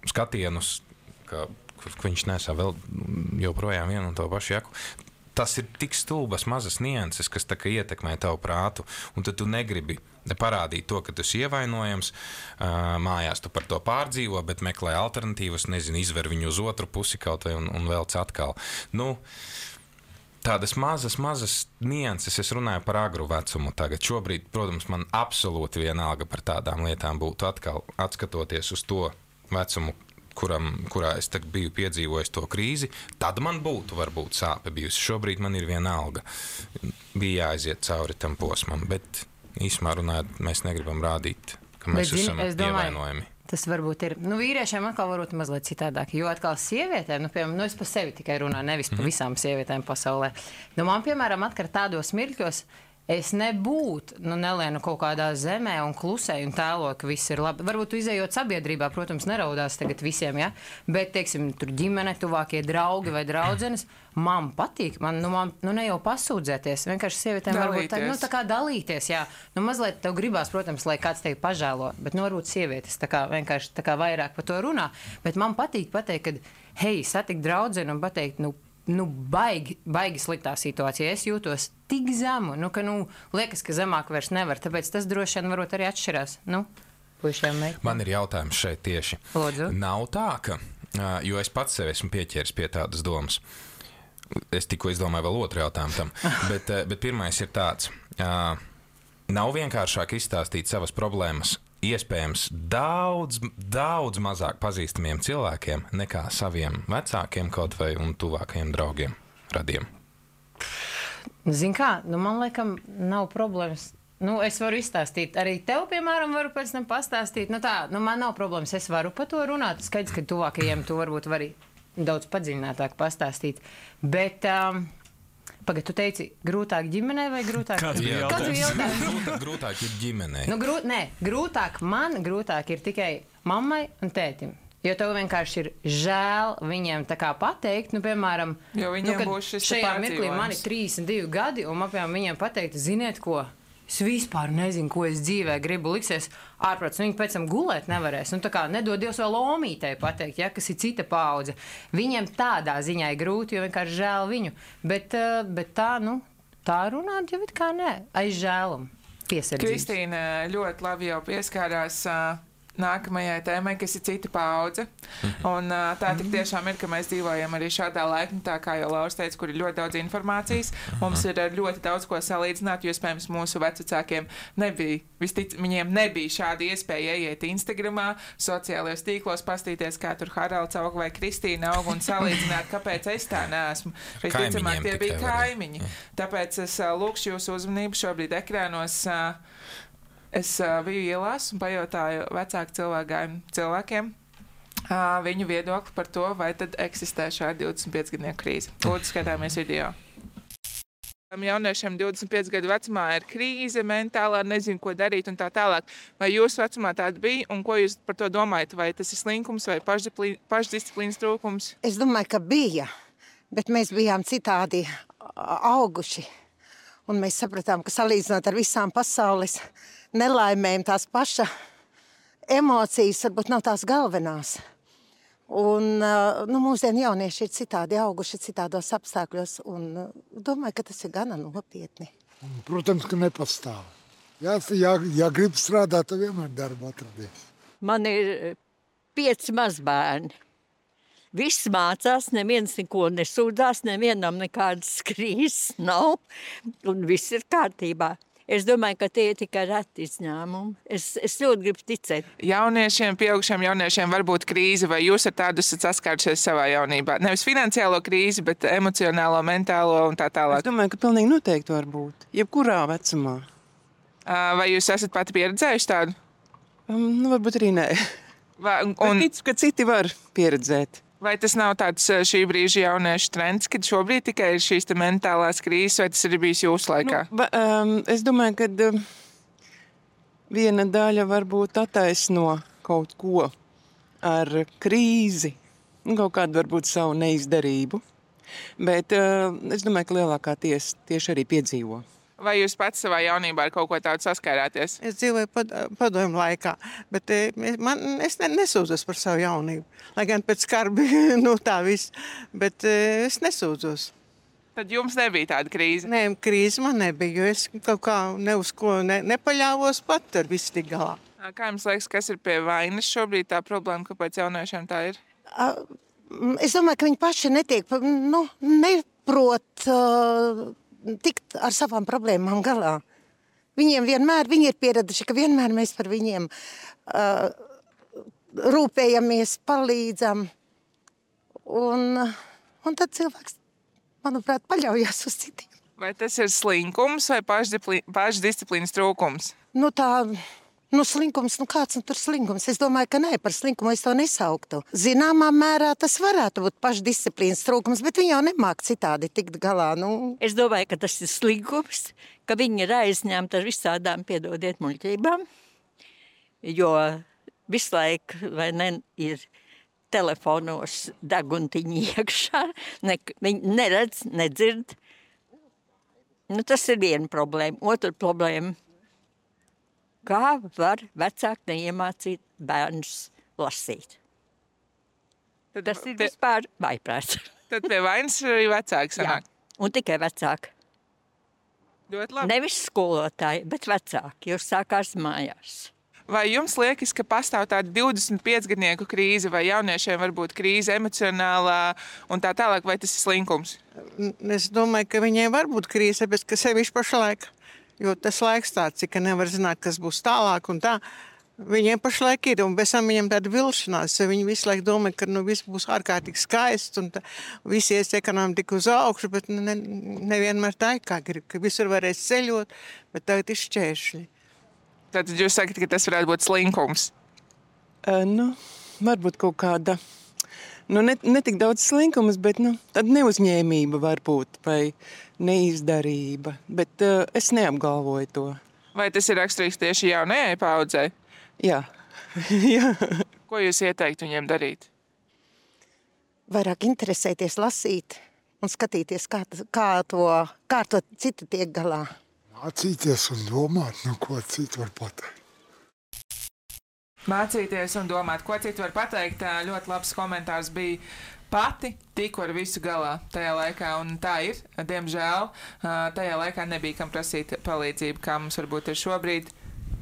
skatienus, ka viņš nesā vēl joprojām vienu un to pašu jaku. Tas ir tik stulbas mazas nianses, kas tā kā ietekmē tavu prātu, un tad tu negribi parādīt to, ka tu esi ievainojams, mājās tu par to pārdzīvo, bet meklē alternatīvas, izver viņu uz otru pusi kaut vai un velc atkal. Nu, tādas mazas nianses, es runāju par agru vecumu tagad. Šobrīd, protams, man absolūti vienalga par tādām lietām būtu atkal atskatoties uz to vecumu, kurā es biju piedzīvojis to krīzi, tad man būtu varbūt sāpe bijusi. Šobrīd man ir vienalga. Bija jāaiziet cauri tam posmam, bet īsumā runājot, mēs negribam rādīt, ka mēs esam ievainojami. Tas varbūt ir, vīriešiem atkal varbūt mazliet citādāk, jo atkal sievietēm, piemēram, es par sevi tikai runāju, nevis par visām sievietēm pasaulē. Man, piemēram, atkar tādos mirkļos, es nebūtu, nelienu kaut kādā zemē un klusēju un tēloju, ka viss ir labi. Varbūt izējot sabiedrībā, protams, neraudās tagad visiem, ja? Bet, teiksim, tur ģimene, tuvākie draugi vai draudzenes, man patīk, ne jau pasūdzēties, vienkārši sievietēm varbūt tā kā dalīties, jā. Mazliet tev gribās, protams, lai kāds tevi pažēlo, bet varbūt sievietes vienkārši vairāk par to runā. Bet man patīk pateikt, ka, hei, satikt draudzeni un pateikt, baigi sliktā situācijā. Es jūtos tik zemu, ka liekas, ka zemāk vairs nevar. Tāpēc tas droši vien varbūt arī atšķirās. Puišiem meitiem. Man ir jautājums šeit tieši. Lūdzu. Nav tā, ka, jo es pats sev esmu pieķēris pie tādas domas. Es tikko izdomāju vēl otru jautājumu tam. Bet pirmais ir tāds. Nav vienkāršāk izstāstīt savas problēmas iespējams daudz mazāk pazīstamiem cilvēkiem nekā saviem vecākiem kaut vai un tuvākajiem draugiem, radiem. Zini kā, man laikam nav problēmas. Es varu izstāstīt. Arī tev, piemēram, varu pēc tam pastāstīt. Man nav problēmas. Es varu par to runāt. Skaidrs, ka tuvākajiem tu varbūt vari daudz padziļinātāk pastāstīt. Bet... Pagad, tu teici, grūtāk ģimenei vai grūtāk? Kāds bija jautājums? Grūtāk ir ģimenei. Grūtāk ir tikai mammai un tētim. Jo tev vienkārši ir žēl viņiem tā kā pateikt, piemēram, jo viņiem būs šis šajā mirklī man ir 32 gadi, un apmēram viņiem pateikt, ziniet ko? Es vispār nezinu, ko es dzīvē gribu, liksies ārprāts. Viņi pēc tam gulēt nevarēs. Tā kā nedod Dievs vēl omītei pateikt, ja, kas ir cita paudze. Viņiem tādā ziņā ir grūti, jo vienkārši žēl viņu. Bet tā runāt jau it kā nē. Aiz žēlumu. Piesardzības. Kristīna ļoti labi jau pieskārās nākamajai tēmai, kas ir cita paudze. Un tā tik tiešām ir, ka mēs dzīvojam arī šādā laikmetā, kā jau Lauris teica, kur ir ļoti daudz informācijas. Mums ir ļoti daudz ko salīdzināt, jo, iespējams, mūsu vecvecākiem viņiem nebija šāda iespēja ieiet Instagramā, sociālajos tīklos, pastīties, kā tur Haralds aug vai Kristīna aug un salīdzināt, kāpēc es tā neesmu. Visticamāk, tie bija kaimiņi. Tāpēc es lūkšu jūsu uzmanību šobrīd ekrānos. Es biju ielās un pajautāju vecāku cilvēkiem viņu viedokli par to, vai tad eksistē šāda 25-gadnieku krīze. Lūdzu, skatāmies video. Jauniešiem 25 gadu vecumā ir krīze, mentālā, nezinu, ko darīt un tā tālāk. Vai jūsu vecumā tāda bija un ko jūs par to domājat? Vai tas ir slinkums vai pašdisciplīnas trūkums? Es domāju, ka bija, bet mēs bijām citādi auguši. Un mēs sapratām, ka salīdzinot ar visām pasaules nelaimēm, tās paša emocijas varbūt nav tās galvenās. Un mūsdienu jaunieši ir citādi auguši citādos apstākļos un domāju, ka tas ir gana nopietni. Protams, ka nepastāv. Ja grib strādāt, tad vienmēr darbu atradies. Man ir 5 mazbērni. Viss mācās, neviens neko nesūdzās, nevienam nekādas krīzes nav un viss ir kārtībā. Es domāju, ka tie ir tikai reti izņēmumi. Es ļoti gribu ticēt. Jauniešiem, pieaugušiem jauniešiem var būt krīze, vai jūs ar tādu esat saskārušies savā jaunībā? Nevis finansiālo krīzi, bet emocionālo, mentālo un tā tālāk. Es domāju, ka pilnīgi noteikti var būt. Jebkurā vecumā. Vai jūs esat pati pieredzējuši tādu? Varbūt arī nē. Un ticu, ka citi var pieredzēt. Vai tas nav tāds šī brīža jauniešu trends, kad šobrīd tikai ir šīs mentālās krīzes, vai tas ir bijis jūsu laikā? Es domāju, ka viena daļa varbūt attaisno kaut ko ar krīzi, kaut kādu varbūt savu neizdarību, bet es domāju, ka lielākā tieši arī piedzīvo. Vai jūs pats savā jaunībā ar kaut ko tādu saskārāties? Es dzīvoju padomju laikā, bet es nesūdzos par savu jaunību. Lai gan pēc karbi, tā viss, bet es nesūdzos. Tad jums nebija tāda krīze? Nē, krīze man nebija, jo es kaut kā uz ko nepaļāvos pat ar visu tik galā. Kā jums liekas, kas ir pie vainas šobrīd tā problēma, kāpēc jauniešiem tā ir? Es domāju, ka viņi paši neprot tikt ar savām problēmām galā. Viņiem vienmēr, viņi ir pieraduši, ka vienmēr mēs par viņiem rūpējamies, palīdzam. Un tad cilvēks, manuprāt, paļaujas uz citiem. Vai tas ir slinkums vai pašdisciplīnas trūkums? Slinkums, kāds tur slinkums? Es domāju, ka nē, par slinkumu es to nesauktu. Zināmā mērā tas varētu būt pašdisciplīnas trūkums, bet viņi jau nemāk citādi tikt galā. Es domāju, ka tas ir slinkums, ka viņi ir aizņemti ar visādām, piedodiet, muļķībām, jo visu laiku, vai ne, ir telefonos deguntiņi iekšā, viņi neredz, nedzird. Tas ir viena problēma. Otra problēma. Kā var vecāki neiemācīt bērnus lasīt? Tas ir vispār vaiprāts. Tad pie vainas arī vecāki sanāk? Jā, un tikai vecāki. Ļoti labi. Nevis skolotāji, bet vecāki, jo sākās mājās. Vai jums liekas, ka pastāv tāda 25-gadnieku krīze, vai jauniešiem var būt krīze emocionālā un tā tālāk, vai tas ir slinkums? Es domāju, ka viņiem var būt krīze, bet ka sevišķi pašlaik. Jo tas laiks tāds, ka nevar zināt, kas būs tālāk un tā. Viņiem pašlaik ir, un bez tam viņiem tāda vilšanās. Viņi visu laiku domā, ka viss būs ārkārtīgi skaists, un visi ies ekonomika uz augšu, bet nevienmēr tā ir, kā grib, ka visur varēs ceļot, bet tagad ir šķēršļi. Tātad jūs sakat, ka tas varētu būt slinkums? Varbūt kaut kāda, ne tik daudz slinkumus, bet tāda neuzņēmība varbūt, vai neizdarība, bet es neapgalvoju to. Vai tas ir raksturīgs tieši jaunajai paudzei? Jā. Jā. Ko jūs ieteiktu viņiem darīt? Vairāk interesēties, lasīt un skatīties, kā to citi tiek galā. Mācīties un domāt, ko citu var pateikt. Mācīties un domāt, ko citu var pateikt. Ļoti labs komentārs bija. Pati tiku ar visu galā tajā laikā, un tā ir. Diemžēl tajā laikā nebija kam prasīt palīdzību, kā mums varbūt ir šobrīd.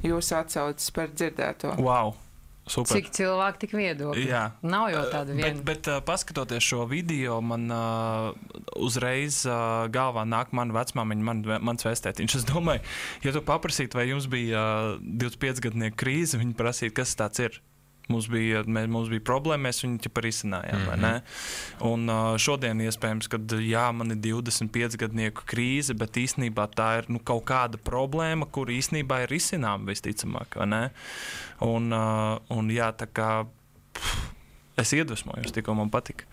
Jūs atsaucas par dzirdēto. Wow! Super. Cik cilvēki, tik viedokļi. Jā. Nav jau tāda viena. Bet paskatoties šo video, man uzreiz galvā nāk mana vecmāmiņa, mans vēstētiņš. Es domāju, ja tu paprasītu, vai jums bija 25-gadnieku krīze, viņi prasītu, kas tāds ir. Mums bija problēma, mēs viņu ķip arī izcinājām, vai ne? Un šodien iespējams, kad man ir 25-gadnieku krīze, bet īstenībā tā ir kaut kāda problēma, kur īstenībā ir risinām visticamāk, vai ne? Un tā kā es iedvesmojos, tikko man patika.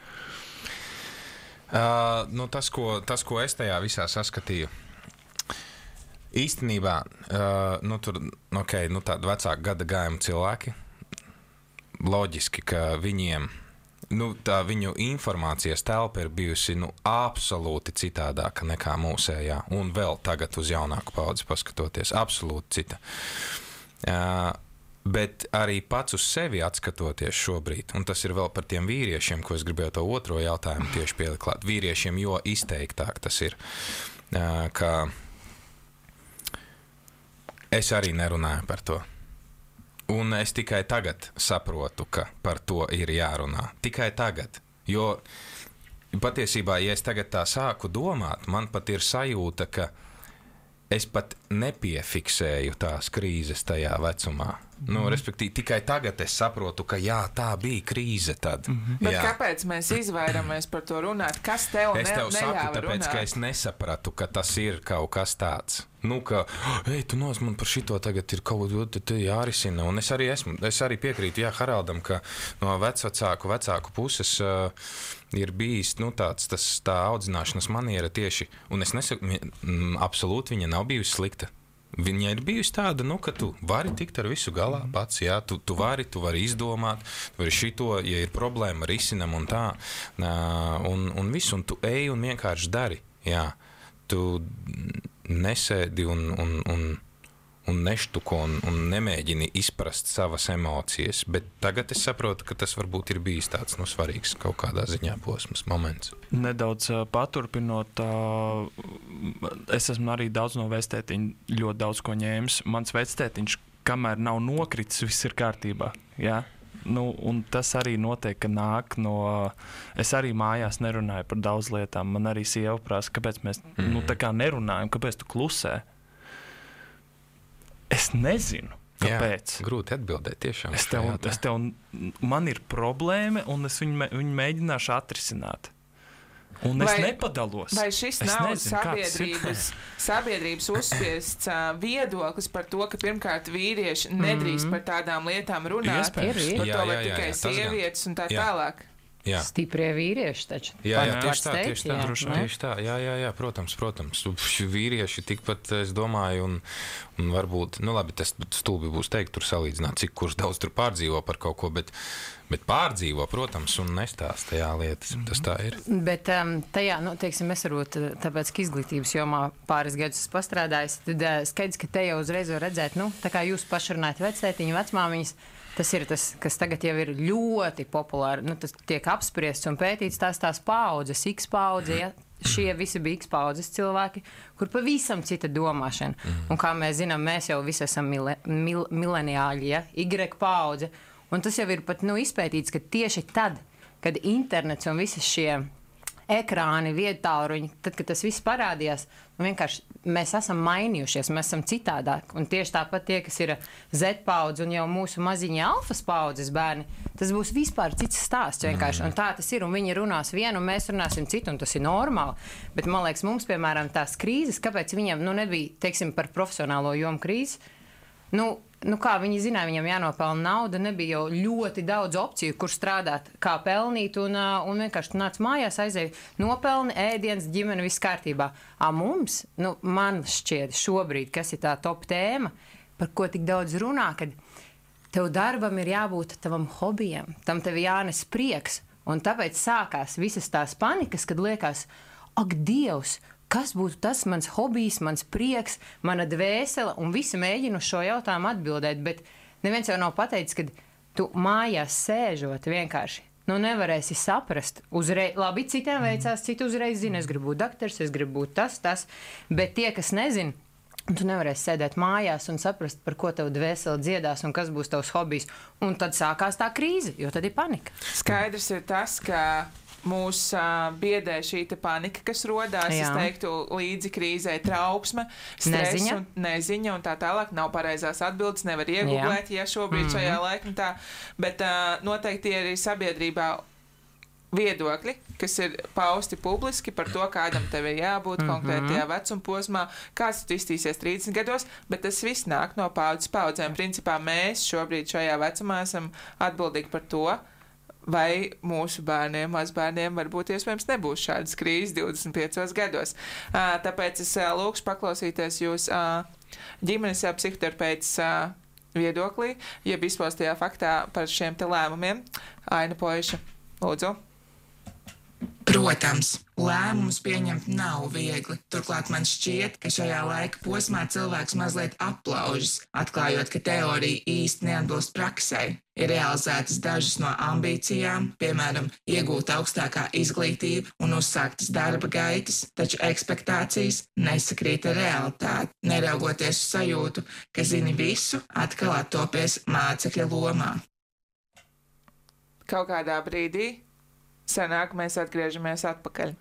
Tas, ko es tajā visā saskatīju, īstenībā, tādi vecāki gada gājumi cilvēki, loģiski, ka viņiem tā viņu informācijas telpa ir bijusi absolūti citādāka nekā mūsējā, un vēl tagad uz jaunāku paudzi paskatoties, absolūti cita. Bet arī pats uz sevi atskatoties šobrīd, un tas ir vēl par tiem vīriešiem, ko es gribēju to otro jautājumu tieši pieliklāt. Vīriešiem, jo izteiktāk tas ir, ka es arī nerunāju par to. Un es tikai tagad saprotu, ka par to ir jārunā. Tikai tagad. Jo patiesībā, ja es tagad tā sāku domāt, man pat ir sajūta, ka es pat nepiefiksēju tās krīzes tajā vecumā. Nu, respektīvi, tikai tagad es saprotu, ka jā, tā bija krīze tad. Bet kāpēc mēs izvairamies par to runāt? Kas tev Es tev saku, neļāva tāpēc, runāt? ka es nesapratu, ka tas ir kaut kas tāds. Nu, ka, tu man par šito tagad ir kaut ko jārisina. Un es arī piekrītu, jā, Haraldam, ka no vecāku puses ir bijis, nu, tā audzināšanas maniera tieši, un es nesaku, absolūti viņa nav bijusi slikta. Viņa ir bijusi tāda, nu, ka tu vari tikt ar visu galā pats, jā, tu vari izdomāt, tu vari šito, ja ir problēma, risinam un tā, un visu, un tu ej un vienkārši dari, jā. Tu nesēdi un neštuko un nemēģini izprast savas emocijas, bet tagad es saprotu, ka tas varbūt ir bijis tāds, nu, svarīgs kaut kādā ziņā posms, moments. Nedaudz paturpinot, es esmu arī daudz no vectētiņa ļoti daudz ko ņēmis. Mans vectētiņš, kamēr nav nokritis, viss ir kārtībā, jā? Nu, un tas arī notiek, ka nāk no... Es arī mājās nerunāju par daudz lietām. Man arī sieva prasa, kāpēc mēs nu, tā kā nerunājam, kāpēc tu klusē? Es nezinu, kāpēc. Jā, grūti atbildēt tiešām. Man ir problēma, un es viņu mēģināšu atrisināt. Un es nepadalos. Vai šis nav sabiedrības uzspiests viedoklis par to, ka pirmkārt vīrieši nedrīkst par tādām lietām runāt, par to vai tikai sievietes un tā tālāk? Jā. Stiprie vīrieši taču. Jā, tieši tā. Jā, protams. Vīrieši tikpat, es domāju, un varbūt, nu labi, tas stulbi būs teikt, tur salīdzināt, cik kurš daudz tur pārdzīvo par kaut ko, bet pārdzīvo, protams, un nestāsta lietas. Tas tā ir. Bet tajā, nu, teiksim, es varbūt, tāpēc, ka izglītības jomā pāris gadus esmu pastrādājis, tad skaidrs, ka te jau uzreiz var redzēt, nu, tā kā jūs paši runājat vectētiņu, vecmāmiņas, tas ir tas, kas tagad jau ir ļoti populāri, nu, tas tiek apspriests un pētīts tās paudzes, X paudze, ja? Šie visi bija X paudzes cilvēki, kur pavisam cita domāšana. Un kā mēs zinām, mēs jau visi esam mileniāļi, ja? Y paudze. Un tas jau ir pat, nu, izpētīts, ka tieši tad, kad internets un visi šie ekrāni, viedtālruņi, tad, kad tas viss parādījās, nu, vienkārši mēs esam mainījušies, mēs esam citādāk. Un tieši tāpat tie, kas ir Z paudze un jau mūsu maziņie alfas paudzes bērni, tas būs vispār cits stāsts vienkārši. Un tā tas ir, un viņi runās vienu, un mēs runāsim citu, un tas ir normāli. Bet, man liekas, mums, piemēram, tās krīzes, kāpēc viņam, nu, nebija, teiksim, par profesionālo jomu krīzes, nu kā viņi zināja, viņam jānopelna nauda, nebija jau ļoti daudz opciju, kur strādāt, kā pelnīt, un vienkārši tu nāc mājās, aizēji nopelni, ēdienas, ģimene, viss kārtībā. Mums, nu, man šķiet šobrīd, kas ir tā top tēma, par ko tik daudz runā, kad tev darbam ir jābūt tavam hobijam, tam tev jānes prieks, un tāpēc sākās visas tās panikas, kad liekas, ak, Dievs, kas būtu tas mans hobijs, mans prieks, mana dvēsele, un visi mēģina uz šo jautājumu atbildēt, bet neviens jau nav pateicis, ka tu mājās sēžot vienkārši, nu nevarēsi saprast uzreiz, labi, citiem veicās, citi uzreiz zina, es gribu būt daktars, es gribu būt tas, bet tie, kas nezin, tu nevarēsi sēdēt mājās un saprast, par ko tev dvēsele dziedās un kas būs tavs hobijs, un tad sākās tā krīze, jo tad ir panika. Skaidrs ir tas, ka mūs biedē šī panika, kas rodās, es teiktu, līdzi krīzē trauksme, stress un neziņa un tā tālāk. Nav pareizās atbildes, nevar iegūglēt, ja šobrīd šajā laikmetā, bet noteikti ir arī sabiedrībā viedokļi, kas ir pausti publiski par to, kādam tev ir jābūt konkrētajā vecumposmā, kāds tu iztīsies 30 gados, bet tas viss nāk no paudzes paudzēm. Principā mēs šobrīd šajā vecumā esam atbildīgi par to, vai mūsu bērniem, mazbērniem varbūt iespējams nebūs šādas krīzes 25 gados. Tāpēc es lūkšu paklausīties jūs ģimenes psihoterapeits viedoklī, jeb izpostajā faktā par šiem te lēmumiem. Aina Poiša, lūdzu. Protams, lēmumus pieņemt nav viegli. Turklāt man šķiet, ka šajā laika posmā cilvēks mazliet aplaužas, atklājot, ka teorija īsti neatbilst praksei. Ir realizētas dažas no ambīcijām, piemēram, iegūt augstākā izglītība un uzsāktas darba gaitas, taču ekspektācijas nesakrīt ar realitāti. Neraugoties uz sajūtu, ka zini visu, atkal attopies mācekļa lomā. Kaut kādā brīdī sanāk, mēs atgriežamies atpakaļ.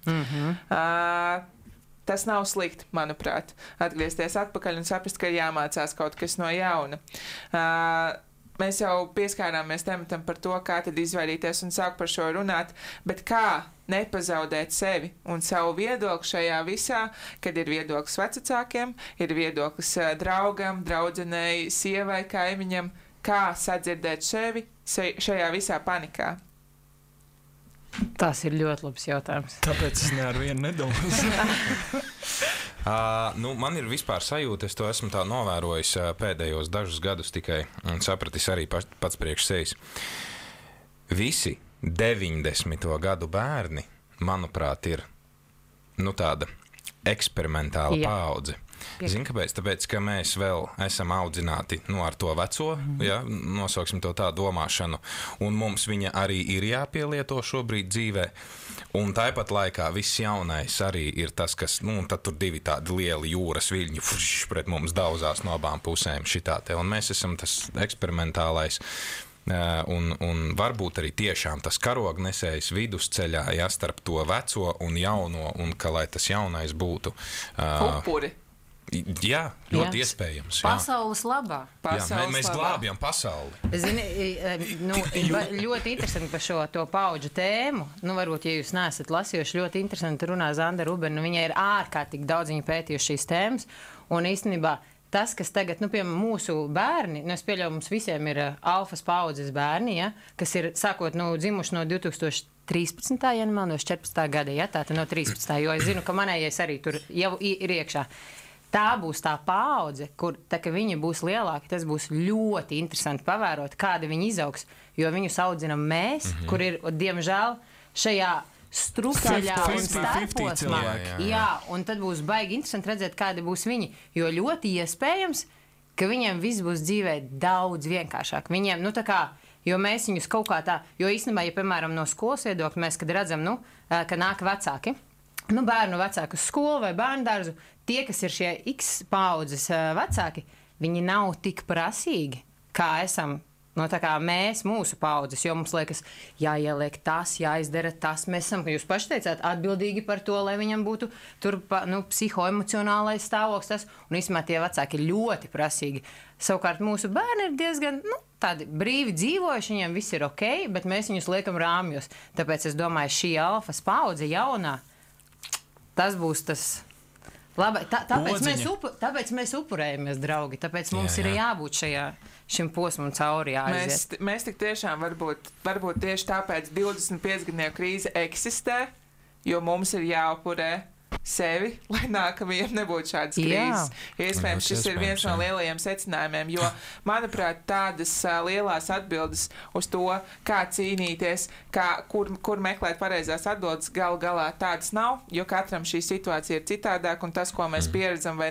Tas nav slikti, manuprāt, atgriezties atpakaļ un saprast, ka jāmācās kaut kas no jauna. Mēs jau pieskārāmies tematam par to, kā tad izvairīties un sāk par šo runāt, bet kā nepazaudēt sevi un savu viedokli šajā visā, kad ir viedoklis vecākiem, ir viedoklis draugam, draudzenei, sievai, kaimiņam, kā sadzirdēt sevi šajā visā panikā. Tas ir ļoti labs jautājums. Tāpēc es ne ar vienu nedomāju. Man ir vispār sajūta, es to esmu tā novērojis pēdējos dažus gadus tikai un sapratis arī pats priekš sevis. Visi 90. gadu bērni, manuprāt, ir tāda eksperimentāla paudze. Zini, kāpēc? Tāpēc, ka mēs vēl esam audzināti ar to veco, nosauksim to tā domāšanu, un mums viņa arī ir jāpielieto šobrīd dzīvē. Un tāpat laikā viss jaunais arī ir tas, kas, tad tur divi tādi lieli jūras viļņi pret mums daudzās no abām pusēm šitā te. Un mēs esam tas eksperimentālais un varbūt arī tiešām tas karognesējs vidusceļā, starp to veco un jauno, un ka, lai tas jaunais būtu upuri. Jā, ļoti iespējams. Jā. Pasaules labā. Mēs glābjam pasauli. Zini, ļoti interesanti par šo to paudžu tēmu. Varbūt, ja jūs neesat lasījuši, ļoti interesanti runā Zanda Rubena. Viņai ir ārkārtīgi daudz viņa pētījuši šīs tēmas. Un īstenībā tas, kas tagad, piemēram, mūsu bērni, es pieļauju, mums visiem ir alfas paudzes bērni, kas ir sākot dzimuši no 2013. no 14. gada, tātad no 13. Jo es zinu, ka manējais arī tur jau ir iekšā. Tā būs tā paudze, kur, kad viņi būs lielāki, tas būs ļoti interesanti pavērot, kāda viņi izaugs, jo viņus audzinam mēs, kur ir, diemžēl, šajā strukaļā un starposmā. Jā, un tad būs baigi interesanti redzēt, kādi būs viņi, jo ļoti iespējams, ka viņiem viss būs dzīvē daudz vienkāršāk. Viņiem, jo mēs viņus kaut kā tā, jo īstenībā, ja, piemēram, no skolas viedokļa mēs, kad redzam, ka nāk vecāki, bērnu vecāku skolu vai bērndārzu, tie, kas ir šie X paudzes vecāki, viņi nav tik prasīgi, kā esam, tā kā mēs, mūsu paudzes, jo mums liekas, jāieliek tas, jāizdara tas, mēs esam, jūs paši teicāt, atbildīgi par to, lai viņam būtu tur, psihoemocionālais stāvoklis tas, un īstenībā tie vecāki ir ļoti prasīgi. Savukārt mūsu bērni ir diezgan, tādi brīvi dzīvojuši, viņiem viss ir ok, bet mēs viņus liekam rāmjos. Tāpēc es domāju, šī alfas paudze jaunā, tas būs tas labi. Tāpēc mēs upurējamies, draugi. Tāpēc mums ir jābūt šim posmam cauri jāaiziet. Mēs tik tiešām varbūt tieši tāpēc 25-gadnieku krīze eksistē, jo mums ir jāupurē sevi, lai nākamajiem nebūtu šādas krīzes. Iespējams, šis ir viens no lielajiem secinājumiem, jo, manuprāt, tādas lielās atbildes uz to, kā cīnīties, kur meklēt pareizās atbildes, galā tādas nav, jo katram šī situācija ir citādāk, un tas, ko mēs pieredzam vai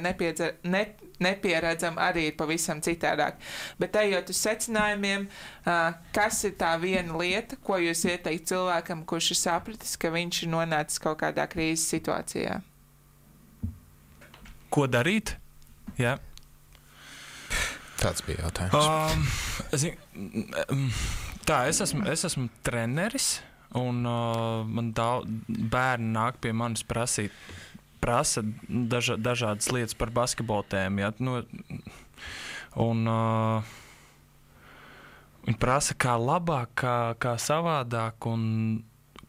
nepieredzam, arī ir pavisam citādāk. Bet ejot uz secinājumiem, kas ir tā viena lieta, ko jūs ieteikt cilvēkam, kurš ir sapratis, ka viņš ir nonācis kaut kādā krīzes situācijā? Ko darīt? Jā. Tāds bija jautājums. Es esmu treneris, un man bērni nāk pie manis prasa dažādas lietas par basketbolu tēmu. Ja? Viņi prasa, kā labāk, kā savādāk, un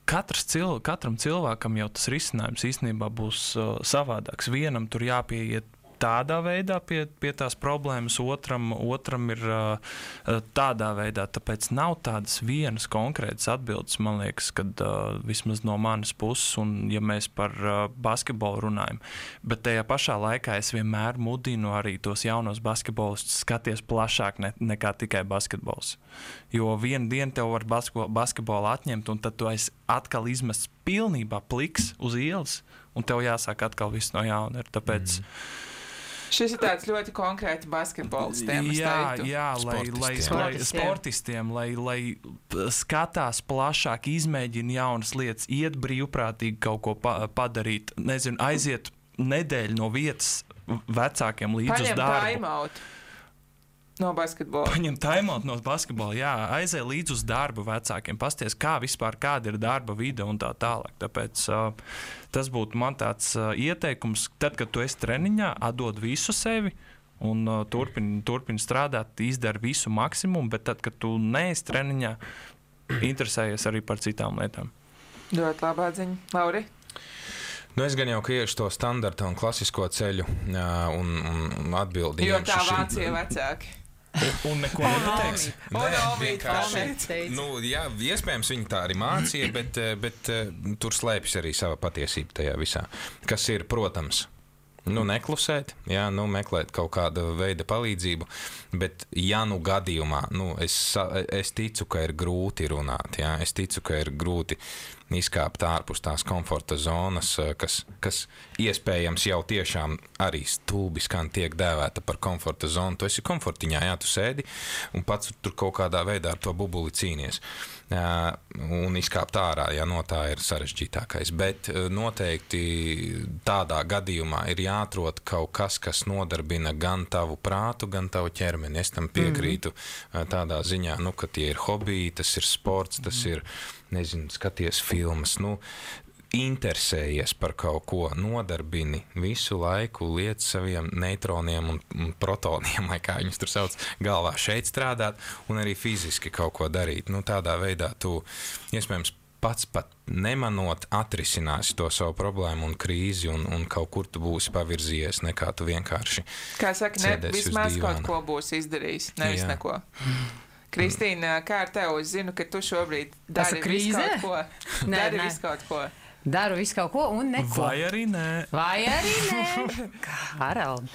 katram cilvēkam jau tas risinājums īstenībā būs savādāks. Vienam tur jāpieiet tādā veidā pie tās problēmas, otram ir tādā veidā. Tāpēc nav tādas vienas konkrētas atbildes, man liekas, kad vismaz no manas puses, un ja mēs par basketbolu runājam. Bet tajā pašā laikā es vienmēr mudinu arī tos jaunos basketbolistus skaties plašāk nekā tikai basketbols. Jo vienu dienu tev var basketbolu atņemt, un tad tu esi atkal izmests pilnībā pliks uz ielas, un tev jāsāk atkal viss no jauna. Tāpēc šis ir tāds ļoti konkrēti basketbols tēmas. Jā, lai sportistiem, lai skatās plašāk, izmēģina jaunas lietas, iet brīvprātīgi kaut ko padarīt, aiziet nedēļu no vietas vecākiem līdz uz darbu. No basketbola. Paņem timeout no basketbola, jā, aizēj līdz uz darbu vecākiem, pasties, kāda ir darba vide un tā tālāk. Tāpēc tas būtu man tāds ieteikums, tad, kad tu esi treniņā, atdod visu sevi un turpini strādāt, izdari visu maksimumu, bet tad, kad tu neesi treniņā, interesējies arī par citām lietām. Ļoti labā ziņa. Lauri? Es gan jau iešu to standarta un klasisko ceļu un atbildi. Jo tā Vācija vecāki. Un neko nepateiksi. Jā, iespējams, viņi tā arī mācīja, bet tur slēpjas arī sava patiesība tajā visā. Kas ir, protams, neklusēt, jā, meklēt kaut kādu veidu palīdzību, bet gadījumā, es ticu, ka ir grūti runāt, jā, es ticu, ka ir grūti izkāpt ārpus tās komforta zonas, kas iespējams jau tiešām arī stulbi skan tiek dēvēta par komforta zonu. Tu esi komfortiņā, jā, tu sēdi un pats tur kaut kādā veidā ar to bubuli cīnies. Un izkāpt ārā, ja no tā ir sarežģītākais. Bet noteikti tādā gadījumā ir jāatrod kaut kas, kas nodarbina gan tavu prātu, gan tavu ķermeni. Es tam piekrītu tādā ziņā, ka tie ir hobiji, tas ir sports, tas ir, skaties filmas, interesējies par kaut ko, nodarbini visu laiku, liec saviem neitroniem un protoniem, vai kā viņus tur sauc, galvā šeit strādāt un arī fiziski kaut ko darīt. Tādā veidā tu, iespējams, pats pat nemanot, atrisināsi to savu problēmu un krīzi un kaut kur tu būsi pavirzījies, nekā tu vienkārši kā saka, vismaz kaut ko būsi izdarījis, nevis neko. Kristīna, kā ar tev? Es zinu, ka tu šobrīd dari visu kaut ko. Visu kaut ko. Daru visu kaut ko un neko. Vai arī nē. Harald.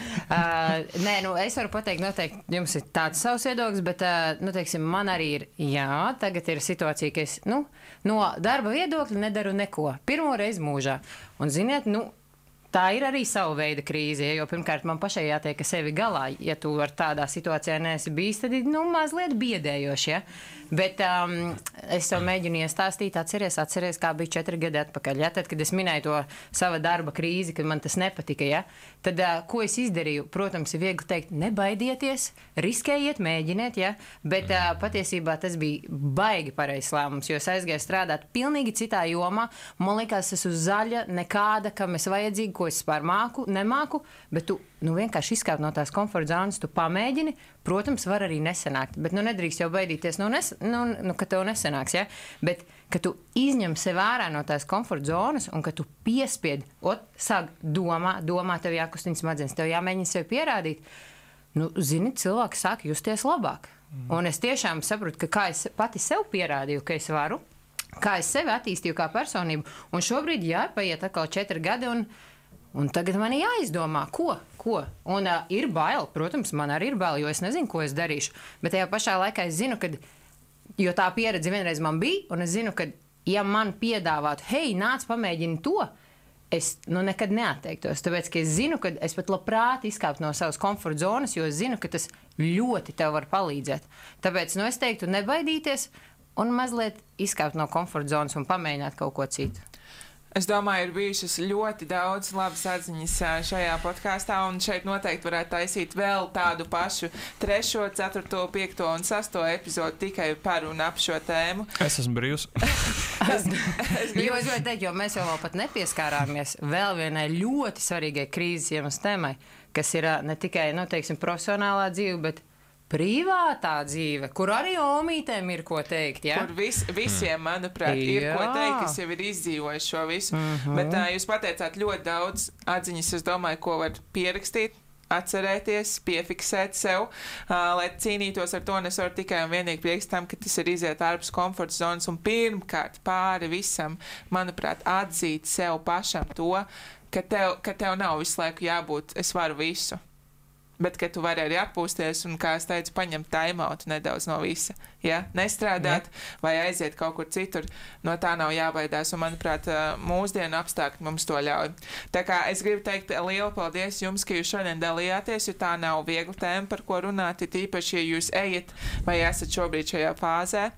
Es varu pateikt, noteikti jums ir tāds savs viedoklis, bet, teiksim, man arī ir, tagad ir situācija, ka es, no darba viedokļa nedaru neko. Pirmo reizi mūžā. Un, ziniet, tā ir arī sava veida krīze, jo pirmkārt man pašai jātiek sevi galā. Ja tu ar tādā situācijā neesi bijis, tad ir mazliet biedējoši. Ja? Bet es tev mēģinu iestāstīt, atceries, kā bija 4 gadi atpakaļ. Ja? Tad, kad es minēju to sava darba krīzi, kad man tas nepatika, ja? Tad ko es izdarīju? Protams, ir viegli teikt, nebaidieties, riskējiet, mēģiniet, ja? Bet patiesībā tas bija baigi pareizs lēmums, jo es aizgāju strādāt pilnīgi citā jomā. Man liekas, es uz zaļa nekāda, kam es vajadzīgi, ko es spār nemāku, bet tu vienkārši izkāpt no tās komforta zonas, tu pamēģini, protams, var arī nesanākt, bet nedrīkst jau baidīties, ka tev nesanāks, ja? Bet, ka tu izņem sev ārā no tās komforta zonas un ka tu piespied, sāk domā, tev jākustina smadzenes, tev jāmēģina sev pierādīt, zini, cilvēki sāk justies labāk. Un es tiešām saprotu, ka kā es pati sev pierādīju, ka es varu, kā es sevi attīstīju kā personību, un šobrīd, paiet atkal 4 gadi, un tagad man ir jāizdomā, ko. Un ir bail, protams, man arī ir bail, jo es nezinu, ko es darīšu. Bet tajā pašā laikā es zinu, jo tā pieredze vienreiz man bija, un es zinu, ka, ja man piedāvātu, hei, nāc, pamēģini to, es nekad neatteiktos. Tāpēc, ka es zinu, ka es pat labprāt izkāptu no savas komforta zonas, jo es zinu, ka tas ļoti tev var palīdzēt. Tāpēc, es teiktu, nebaidīties un mazliet izkāpt no komforta zonas un pamēģināt kaut ko citu. Es domāju, ir bijušas ļoti daudz labas atziņas šajā podkāstā, un šeit noteikti varētu taisīt vēl tādu pašu 3., 4., 5. un 6. epizodu tikai par un ap šo tēmu. Es esmu brīvs. Es gribēju teikt, jo mēs vēl pat nepieskārāmies vēl vienai ļoti svarīgai krīzes iemesls tēmai, kas ir ne tikai, profesionālā dzīve, bet privātā dzīve, kur arī omītēm ir ko teikt, ja? Kur visiem, manuprāt, ir ko teikt, kas jau ir izdzīvojis šo visu. Bet jūs pateicāt ļoti daudz atziņas, es domāju, ko var pierakstīt, atcerēties, piefiksēt sev, lai cīnītos ar to, un es varu tikai un vienīgi priekst tam, ka tas ir iziet ārpus komforta zonas, un pirmkārt pāri visam, manuprāt, atzīt sev pašam to, ka tev nav visu laiku jābūt, es varu visu. Bet, ka tu vari arī atpūsties un, kā es teicu, paņemt timeout nedaudz no visa. Ja? Nestrādāt vai aiziet kaut kur citur, no tā nav jābaidās. Un, manuprāt, mūsdienu apstākļi mums to ļauj. Tā kā es gribu teikt lielu paldies jums, ka jūs šodien dalījāties, jo tā nav viegla tēma, par ko runāt, it īpaši, ja jūs ejat vai esat šobrīd šajā fāzē.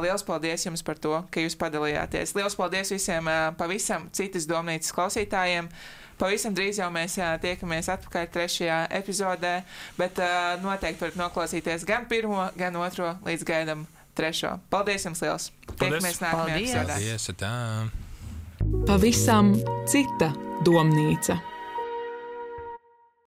Liels paldies jums par to, ka jūs padalījāties. Liels paldies visiem pavisam citas domnīcas klausītājiem. Pavisam drīz jau mēs tiekamies atpakaļ 3. epizodē, bet noteikti varat noklausīties gan 1., gan 2. līdz gaidam 3. Paldies jums liels! Tiekamies nākamajā epizodē! Paldies! Tā. Pavisam cita domnīca.